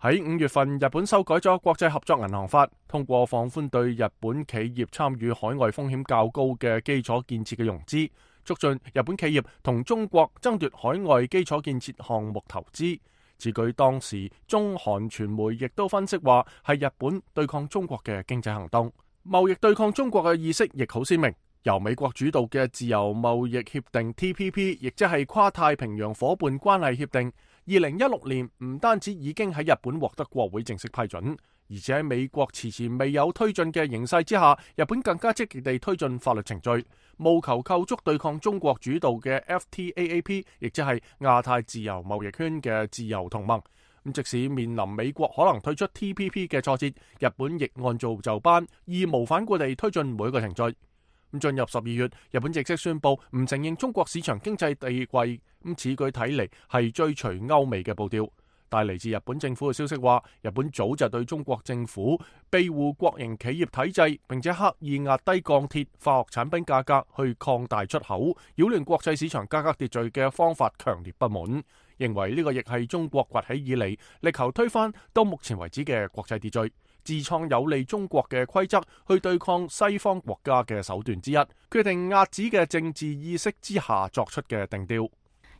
喺五月份，日本修改咗國際合作銀行法，通過放寬對日本企業參與海外風險較高嘅基礎建設嘅融資，促進日本企業同中國爭奪海外基礎建設項目投資。此舉當時中韓傳媒亦都分析話係日本對抗中國嘅經濟行動。貿易對抗中國嘅意識亦好鮮明。由美國主導嘅自由貿易協定 T P P， 亦即係跨太平洋夥伴關係協定，二零一六年唔單止已經喺日本獲得國會正式批准，而且喺美國遲遲未有推進嘅形勢之下，日本更加積極地推進法律程序，務求構築對抗中國主導嘅 F T A A P， 亦即係亞太自由貿易圈嘅自由同盟。咁即使面臨美國可能退出 T P P 嘅挫折，日本亦按照就班，義無反顧地推進每一個程序。咁進入十二月，日本正式宣布唔承認中國市場經濟地位，咁此舉睇嚟係追隨歐美嘅步調。但係嚟自日本政府嘅消息話，日本早就對中國政府庇護國營企業體制，並且刻意壓低鋼鐵、化學產品價格去擴大出口，擾亂國際市場價格秩序嘅方法強烈不滿，認為呢個亦係中國崛起以嚟力求推翻到目前為止嘅國際秩序，自創有利中國嘅規則去對抗西方國家嘅手段之一，決定遏止嘅政治意識之下作出嘅定調。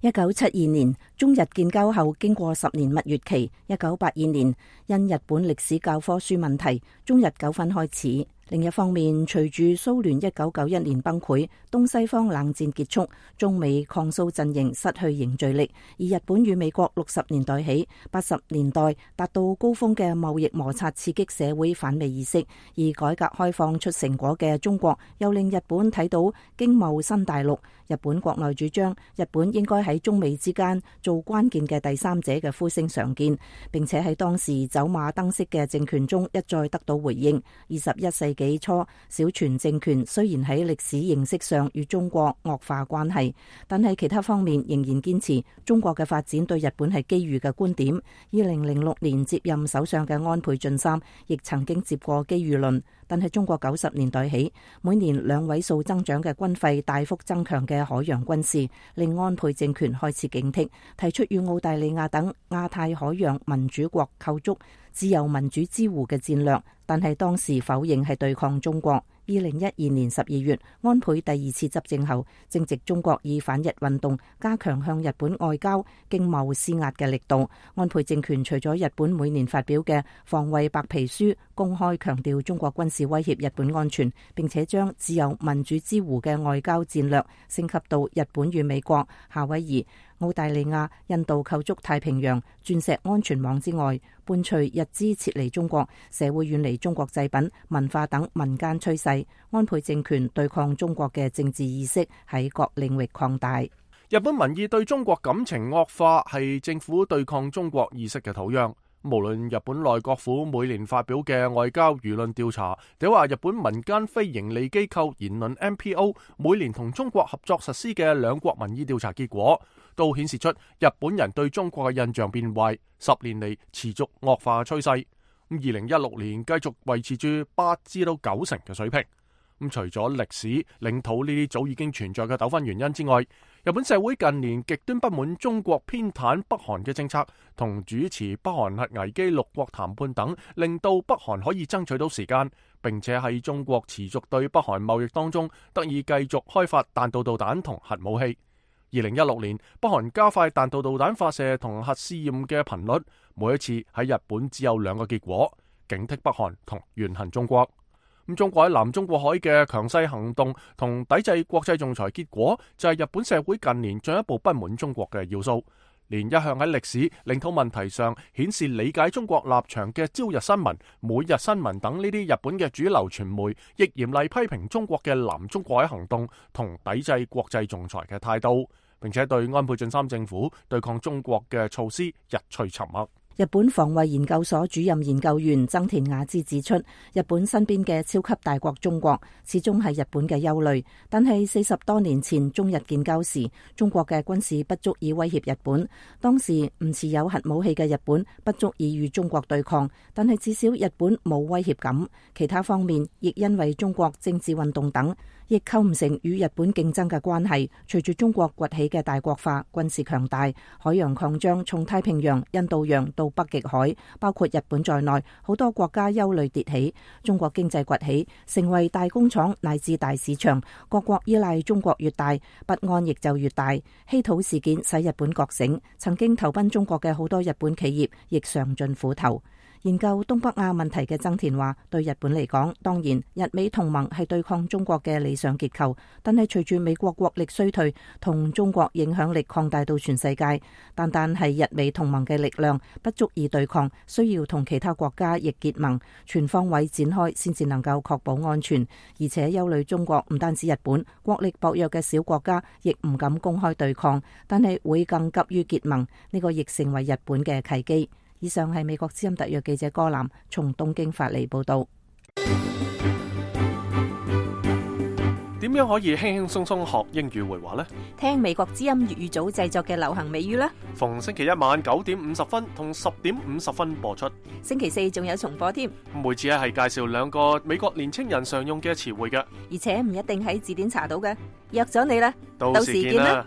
一九七二年中日建交後，經過十年蜜月期，一九八二年因日本歷史教科書問題，中日糾紛開始。另一方面，隨住蘇聯一九九一年崩潰，東西方冷戰結束，中美抗蘇陣營失去凝聚力，而日本與美國六十年代起、八十年代達到高峰嘅貿易摩擦，刺激社會反美意識，而改革開放出成果嘅中國，又令日本睇到經貿新大陸。日本國內主張日本應該喺中美之間做關鍵嘅第三者嘅呼聲常見，並且喺當時走馬燈式嘅政權中一再得到回應。二十一世紀初，小泉政權雖然喺歷史認識上與中國惡化關係，但係其他方面仍然堅持中國嘅發展對日本係機遇嘅觀點。二零零六年接任首相嘅安倍晉三亦曾經接過機遇論，但係中國九十年代起每年兩位數增長嘅軍費大幅增強嘅海洋軍事，令安倍政權開始警惕，提出與澳大利亞等亞太海洋民主國構築自由民主之湖嘅戰略，但係當時否認係對抗中國。二零一二年十二月，安倍第二次執政後，正值中國以反日運動加強向日本外交經貿施壓嘅力度。安倍政權除咗日本每年發表嘅防衛白皮書公開強調中國軍事威脅日本安全，並且將自由民主之湖嘅外交戰略升級到日本與美國、夏威夷、澳大利亞、印度構築太平洋鑽石安全網之外，伴隨日資撤離中國，社會遠離中國製品、文化等民間趨勢，安倍政權對抗中國嘅政治意識喺各領域擴大。日本民意對中國感情惡化係政府對抗中國意識嘅土壤。無論日本內閣府每年發表嘅外交輿論調查，定話日本民間非營利機構言論 M P O 每年同中國合作實施嘅兩國民意調查結果，都顯示出日本人對中國嘅印象變壞，十年嚟持續惡化嘅趨勢。咁二零一六年繼續維持住八至到九成嘅水平。咁除咗歷史、領土呢啲早已經存在嘅糾紛原因之外，日本社會近年極端不滿中國偏袒北韓嘅政策，同主持北韓核危機六國談判等，令到北韓可以爭取到時間，並且喺中國持續對北韓貿易當中得以繼續開發彈道導彈同核武器。二零一六年，北韓加快彈道導彈發射同核試驗嘅頻率，每一次喺日本只有兩個結果：警惕北韓同怨恨中國。咁中國喺南中國海嘅強勢行動同抵制國際仲裁，結果就係日本社會近年進一步不滿中國嘅要素。連一向喺歷史、領土問題上顯示理解中國立場嘅朝日新聞、每日新聞等呢啲日本嘅主流傳媒，亦嚴厲批評中國嘅南中國海行動同抵制國際仲裁嘅態度，並且對安倍晉三政府對抗中國嘅措施日趨沉默。日本防衛研究所主任研究員增田雅之指出，日本身邊嘅超級大國中國始終係日本嘅憂慮，但係四十多年前中日建交時，中國嘅軍事不足以威脅日本。當時唔持有核武器嘅日本不足以與中國對抗，但係至少日本冇威脅感。其他方面亦因為中國政治運動等，亦構唔成與日本競爭嘅關係。隨住中國崛起嘅大國化、軍事強大、海洋擴張，從太平洋、印度洋到北極海，包括日本在內，好多國家憂慮迭起。中國經濟崛起，成為大工廠乃至大市場，各國依賴中國越大，不安亦就越大。稀土事件使日本覺醒，曾經投奔中國嘅好多日本企業亦嘗盡苦頭。研究東北亞問題嘅增田話，對日本嚟講，當然日美同盟係對抗中國嘅理想結構，但係隨住美國國力衰退同中國影響力擴大到全世界，單單係日美同盟嘅力量不足以對抗，需要同其他國家亦結盟，全方位展開先至能夠確保安全。而且憂慮中國唔單止日本，國力薄弱嘅小國家亦唔敢公開對抗，但係會更急於結盟，呢個亦成為日本嘅契機。以上係美國之音特約記者柯南從東京發嚟報道。點樣可以輕輕鬆鬆學英語會話呢？聽美國之音粵語組製作嘅流行美語啦。逢星期一晚九點五十分同十點五十分播出。星期四仲有重播添。每次係介紹兩個美國年青人常用嘅詞彙嘅，而且唔一定喺字典查到嘅。約咗你啦，到時見啦。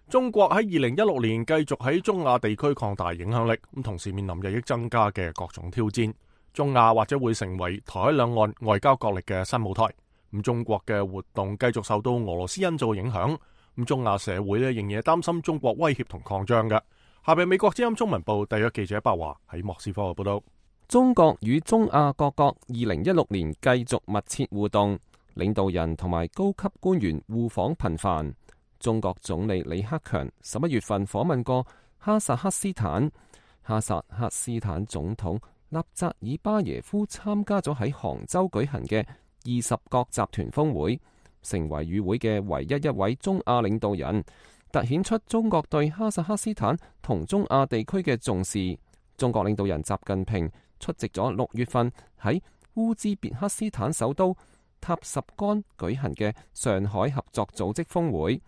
中國喺二零一六年繼續喺中亞地區擴大影響力，咁同時面臨日益增加嘅各種挑戰。中亞或者會成為台海兩岸外交角力嘅新舞台。咁中國嘅活動繼續受到俄羅斯因素影響，咁中亞社會咧仍然擔心中國威脅同擴張嘅。下邊美國之音中文部特約記者白華喺莫斯科嘅報道。中國與中亞各國二零一六年繼續密切互動，領導人同埋高級官員互訪頻繁。中國總理李克強十一月份訪問過哈薩克斯坦，哈薩克斯坦總統納扎爾巴耶夫參加咗喺杭州舉行嘅二十國集團峰會，成為與會嘅唯一一位中亞領導人，凸顯出中國對哈薩克斯坦同中亞地區嘅重視。中國領導人習近平出席咗六月份喺烏茲別克斯坦首都塔什干舉行嘅上海合作組織峰會，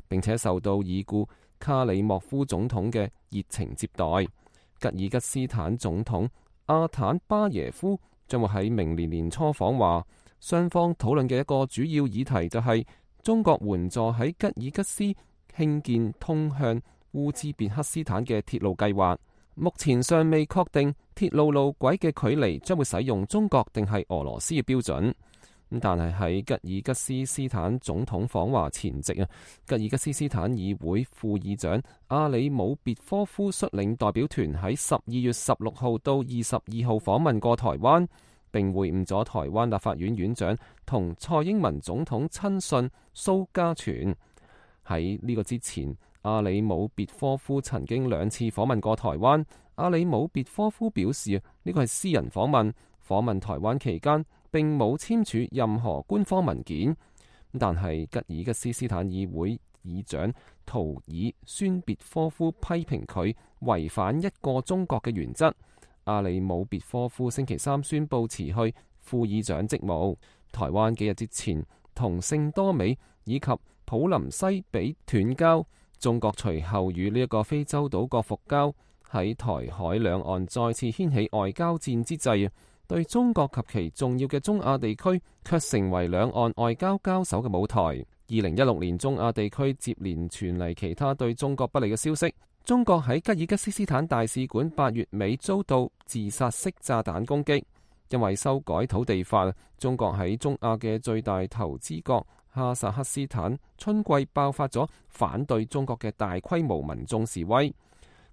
並且受到已故卡里莫夫總統嘅熱情接待。吉爾吉斯坦總統阿坦巴耶夫將會喺明年年初訪華，雙方討論嘅一個主要議題就係中國援助喺吉爾吉斯興建通向烏茲別克斯坦嘅鐵路計劃。目前尚未確定鐵路路軌嘅距離將會使用中國定係俄羅斯嘅標準。但係喺吉爾吉斯斯坦總統訪華前夕啊，吉爾吉斯斯坦議會副議長阿里姆別科夫率領代表團喺十二月十六號到二十二號訪問過台灣，並會晤咗台灣立法院院長同蔡英文總統親信蘇家全。喺呢個之前，阿里姆別科夫曾經兩次訪問過台灣。阿里姆別科夫表示，呢個係私人訪問，訪問台灣期間並冇簽署任何官方文件。但係吉爾吉斯斯坦議會議長圖爾宣別科夫批評佢違反一個中國嘅原則。阿里姆別科夫星期三宣布辭去副議長職務。台灣幾日之前同聖多美以及普林西比斷交，中國隨後與呢一個非洲島國復交。喺台海兩岸再次掀起外交戰之際，對中國及其重要嘅中亞地區卻成為兩岸外交交手嘅舞台。二零一六年中亞地區接連傳嚟其他對中國不利嘅消息。中國喺吉爾吉斯斯坦大使館八月尾遭到自殺式炸彈攻擊，因為修改土地法，中國喺中亞嘅最大投資國哈薩克斯坦春季爆發咗反對中國嘅大規模民眾示威。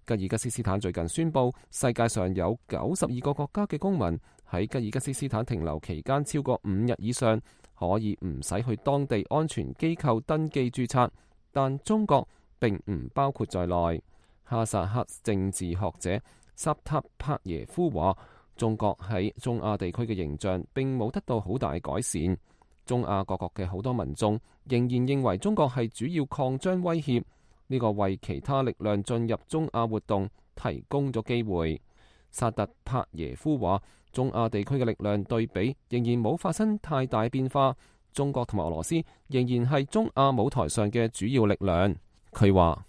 吉爾吉斯斯坦最近宣布，世界上有九十二個國家嘅公民喺吉爾吉斯斯坦停留期間超過五日以上，可以唔使去當地安全機構登記註冊，但中國並唔包括在內。哈薩克政治學者薩塔帕耶夫話，中國喺中亞地區嘅形象並冇得到好大改善。中亞各國嘅好多民眾仍然認為中國係主要擴張威脅。呢個為其他力量進入中亞活動提供咗機會。薩特帕耶夫話：中亞地區嘅力量對比仍然冇發生太大變化，中國同埋俄羅斯仍然係中亞舞台上嘅主要力量。佢話：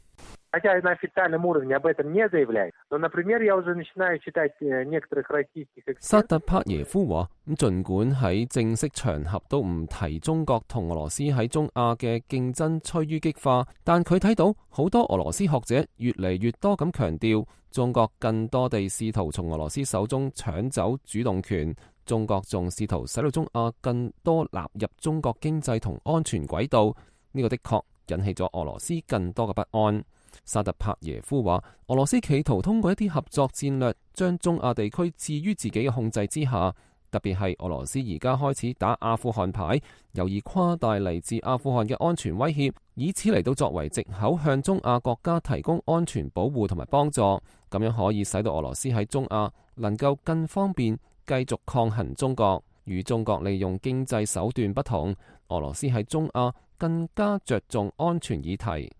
薩特帕耶夫話：咁盡管喺正式場合都唔提中國同俄羅斯喺中亞嘅競爭趨於激化，但佢睇到好多俄羅斯學者越嚟越多咁強調，中國更多地試圖從俄羅斯手中搶走主動權，中國仲試圖使到中亞更多納入中國經濟同安全軌道。呢個的確引起咗俄羅斯更多嘅不安。薩特帕耶夫話：俄羅斯企圖通過一啲合作戰略，將中亞地區置於自己嘅控制之下。特別係俄羅斯而家開始打阿富汗牌，由以誇大嚟自阿富汗嘅安全威脅，以此嚟到作為藉口向中亞國家提供安全保護同埋幫助，咁樣可以使到俄羅斯喺中亞能夠更方便繼續抗衡中國。與中國利用經濟手段不同，俄羅斯喺中亞更加着重安全議題。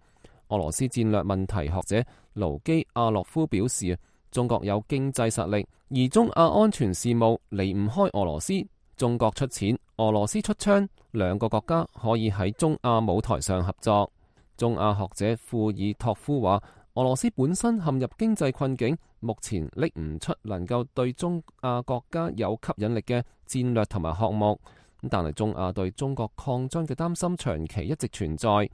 俄羅斯戰略問題學者盧基亞洛夫表示，中國有經濟實力，而中亞安全事務離唔開俄羅斯。中國出錢，俄羅斯出槍，兩個國家可以喺中亞舞台上合作。中亞學者庫爾托夫話：俄羅斯本身陷入經濟困境，目前拎唔出能夠對中亞國家有吸引力嘅戰略同埋項目。但係中亞對中國擴張嘅擔心長期一直存在。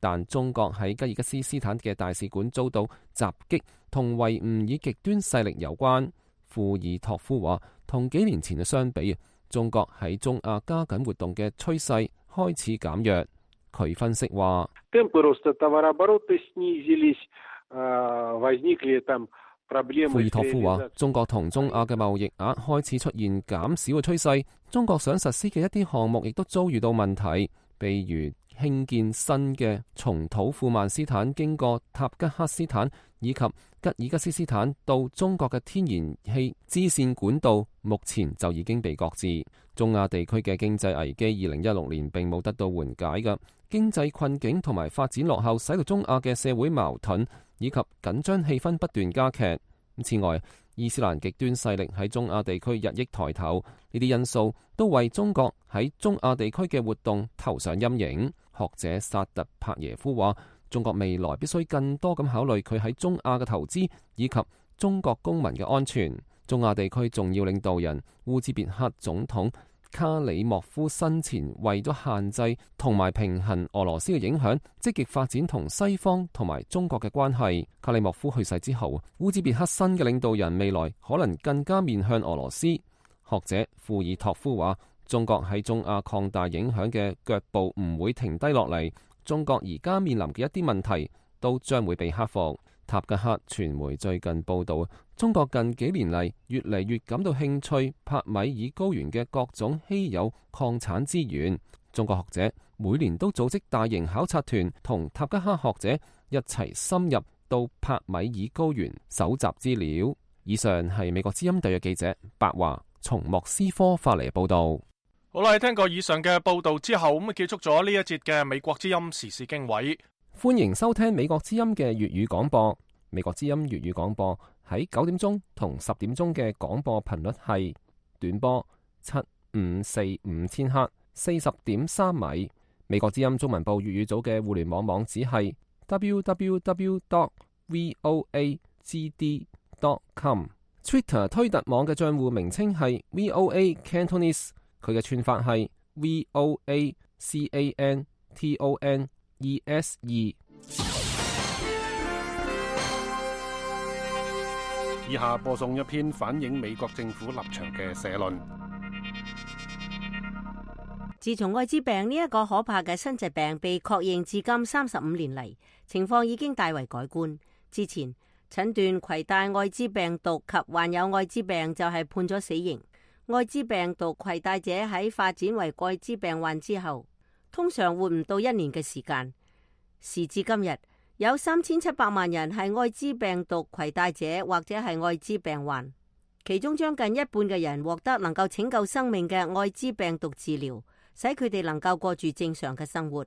但中國喺吉爾吉斯斯坦嘅大使館遭到襲擊，同維吾爾極端勢力有關。庫爾托夫話：同幾年前嘅相比，中國喺中亞加緊活動嘅趨勢開始減弱。佢分析話：庫爾托夫話：中國同中亞嘅貿易額開始出現減少嘅趨勢，中國想實施嘅一啲項目亦都遭遇到問題，譬如興建新嘅從土庫曼斯坦經過塔吉克斯坦以及吉爾吉斯斯坦到中國嘅天然氣支線管道，目前就已經被擱置。中亞地區嘅經濟危機二零一六年並冇得到緩解嘅，經濟困境同埋發展落後，使到中亞嘅社會矛盾以及緊張氣氛不斷加劇。此外，伊斯蘭極端勢力喺中亞地區日益抬頭，呢啲因素都為中國喺中亞地區嘅活動投上陰影。學者薩特帕耶夫話：中國未來必須更多咁考慮佢喺中亞嘅投資以及中國公民嘅安全。中亞地區重要領導人烏茲別克總統卡里莫夫生前為咗限制同埋平衡俄羅斯嘅影響，積極發展同西方同埋中國嘅關係。卡里莫夫去世之後，烏茲別克新嘅領導人未來可能更加面向俄羅斯。學者庫爾托夫話：中國喺中亞擴大影響嘅腳步唔會停低落嚟，中國而家面臨嘅一啲問題都將會被克服。塔吉克傳媒最近報道，中國近幾年嚟越嚟越感到興趣帕米爾高原嘅各種稀有礦產資源。中國學者每年都組織大型考察團，同塔吉克學者一齊深入到帕米爾高原搜集資料。以上係美國之音特約記者白華從莫斯科發嚟報道。好啦，聽過以上嘅報道之後，咁啊結束咗呢一節嘅美國之音時事經緯。歡迎收聽美國之音嘅粵語廣播。美國之音粵語廣播喺九點鐘同十點鐘嘅廣播頻率係短波七五四五千赫，四十點三米。美國之音中文部粵語組嘅互聯網網址係 double-u double-u double-u dot voa g d dot com。Twitter 推特網嘅賬戶名稱係 V O A Cantonese， 佢嘅串法係 V O A C A N T O N E S E。以下播送一篇反映美國政府立場嘅社論。自從艾滋病呢一個可怕嘅新疾病被確認至今三十五年嚟，情況已經大為改觀。之前診斷攜帶艾滋病毒及患有艾滋病就係判咗死刑。艾滋病毒攜帶者喺發展為艾滋病患之後，通常活唔到一年嘅時間。時至今日，有三千七百萬人係艾滋病毒攜帶者或者係艾滋病患，其中將近一半嘅人獲得能夠拯救生命嘅艾滋病毒治療，使佢哋能夠過住正常嘅生活。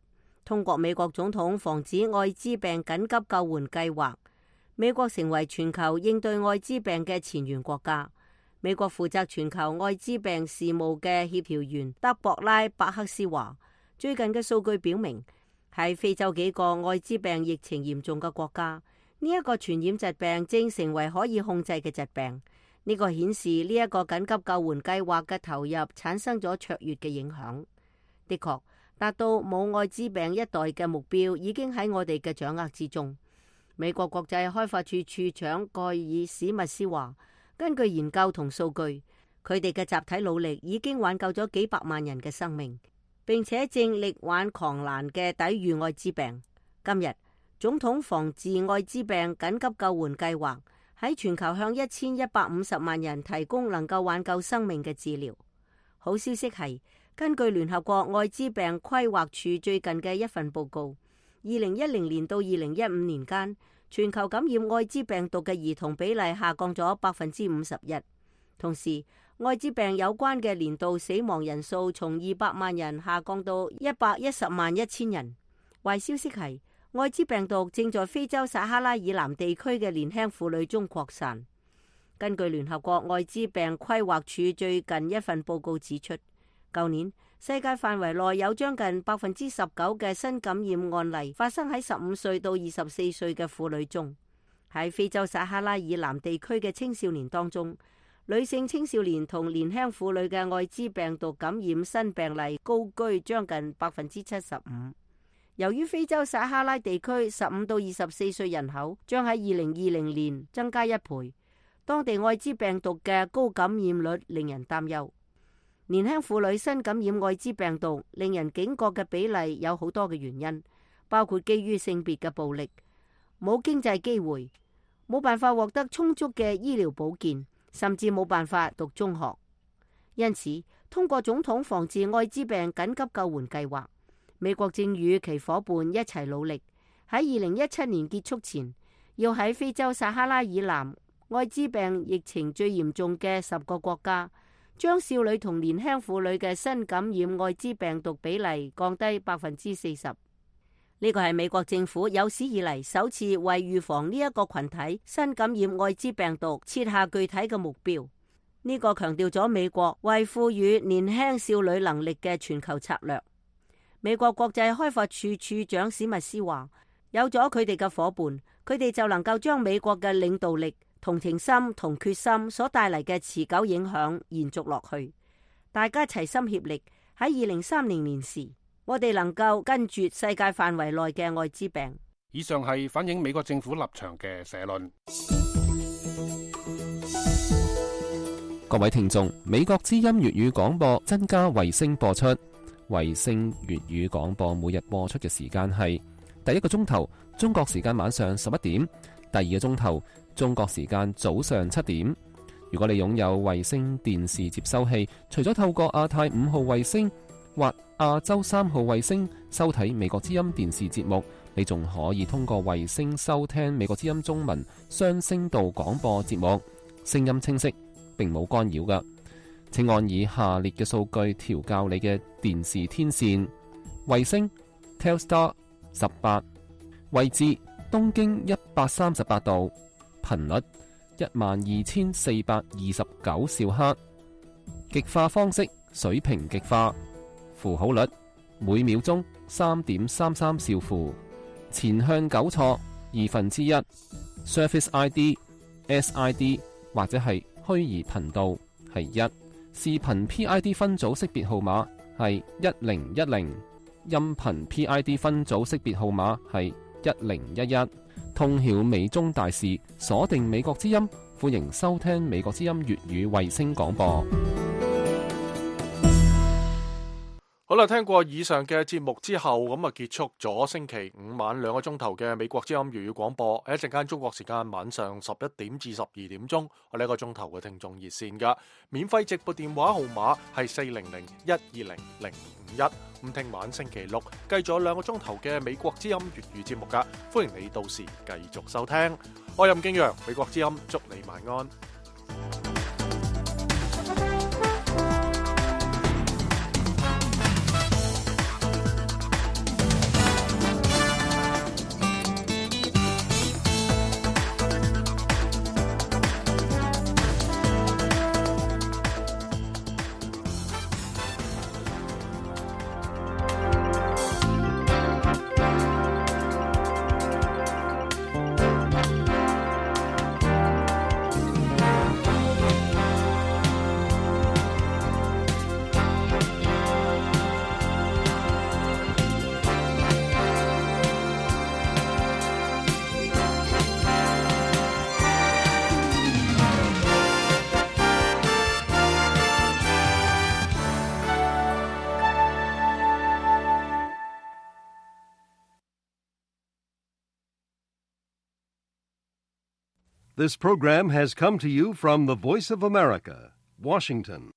通過美國總統防止愛滋病緊急救援計劃，美國成為全球應對愛滋病嘅前沿國家。美國負責全球愛滋病事務嘅協調員德博拉·伯克斯話，最近嘅數據表明，喺非洲幾個愛滋病疫情嚴重嘅國家，呢一個傳染疾病正成為可以控制嘅疾病。呢個顯示呢一個緊急救援計劃嘅投入產生咗卓越嘅影響。的確，達到冇愛滋病一代嘅目標已經喺我哋嘅掌握之中。美國國際開發處處長蓋爾史密斯話，根據研究同數據，佢哋嘅集體努力已經挽救咗幾百萬人嘅生命，並且正力挽狂瀾嘅抵禦愛滋病。今日，總統防治愛滋病緊急救援計劃喺全球向一千一百五十萬人提供能夠挽救生命嘅治療。好消息係，根據聯合國愛滋病規劃署最近嘅一份報告，二零一零年到二零一五年間，全球感染愛滋病毒嘅兒童比例下降咗百分之五十一。同時，愛滋病有關嘅年度死亡人數從二百萬人下降到一百一十萬一千人。壞消息係，愛滋病毒正在非洲撒哈拉以南地區嘅年輕婦女中擴散。根據聯合國愛滋病規劃署最近一份報告指出，舊年世界範圍內有將近百分之十九嘅新感染案例發生喺十五歲到二十四歲嘅婦女中。喺非洲撒哈拉以南地區嘅青少年當中，女性青少年同年輕婦女嘅愛滋病毒感染新病例高居將近百分之七十五。由於非洲撒哈拉地區十五到二十四歲人口將喺二零二零年增加一倍，當地愛滋病毒嘅高感染率令人擔憂。年輕婦女新感染愛滋病毒令人警覺嘅比例有好多嘅原因，包括基於性別嘅暴力、冇經濟機會、冇辦法獲得充足嘅醫療保健，甚至冇辦法讀中學。因此，通過總統防治愛滋病緊急救援計劃，美國正與其夥伴一齊努力，喺二零一七年結束前，要喺非洲撒哈拉以南愛滋病疫情最嚴重嘅十個國家，將少女同年輕婦女嘅新感染愛滋病毒比例降低百分之四十。呢個係美國政府有史以嚟首次為預防呢一個群體新感染愛滋病毒設下具體嘅目標。呢個強調咗美國為賦予年輕少女能力嘅全球策略。美國國際開發處處長史密斯話，有咗佢哋嘅夥伴，佢哋就能夠將美國嘅領導力、同情心同決心所帶嚟嘅持久影響延續落去。大家齊心協力，喺二零三零年時，我哋能夠根絕世界範圍內嘅愛滋病。以上係反映美國政府立場嘅社論。各位聽眾，美國之音粵語廣播增加衛星播出。衛星粵語廣播每日播出嘅時間係第一個鐘頭中國時間晚上十一點，第二個鐘頭中國時間早上七點。如果你擁有衛星電視接收器，除咗透過亞太五號衛星或亞洲三號衛星收睇美國之音電視節目，你仲可以通過衛星收聽美國之音中文雙聲道廣播節目，聲音清晰，並冇干擾㗎。請按以下列嘅數據調校你嘅電視天線：衛星 Telstar 十八，位置東經一百三十八度，頻率一萬二千四百二十九兆赫，極化方式水平極化，符號率每秒鐘三點三三兆符，前向糾錯二分之一 ，Surface I D、S I D 或者係虛擬頻道係一。視頻 P I D 分組識別號碼係一零一零，音頻 P I D 分組識別號碼係一零一一。通曉美中大事，鎖定美國之音，歡迎收聽美國之音粵語衛星廣播。好啦，聽過以上嘅節目之後，咁啊結束咗星期五晚兩個鐘頭嘅美國之音粵語廣播。喺一陣間中國時間晚上十一點至十二點鐘，我哋一個鐘頭嘅聽眾熱線噶免費直播電話號碼係四零零一二零零五一。咁聽晚星期六繼續有兩個鐘頭嘅美國之音粵語節目噶，歡迎你到時繼續收聽。我任敬陽，美國之音，祝你晚安。This program has come to you from the Voice of America, Washington.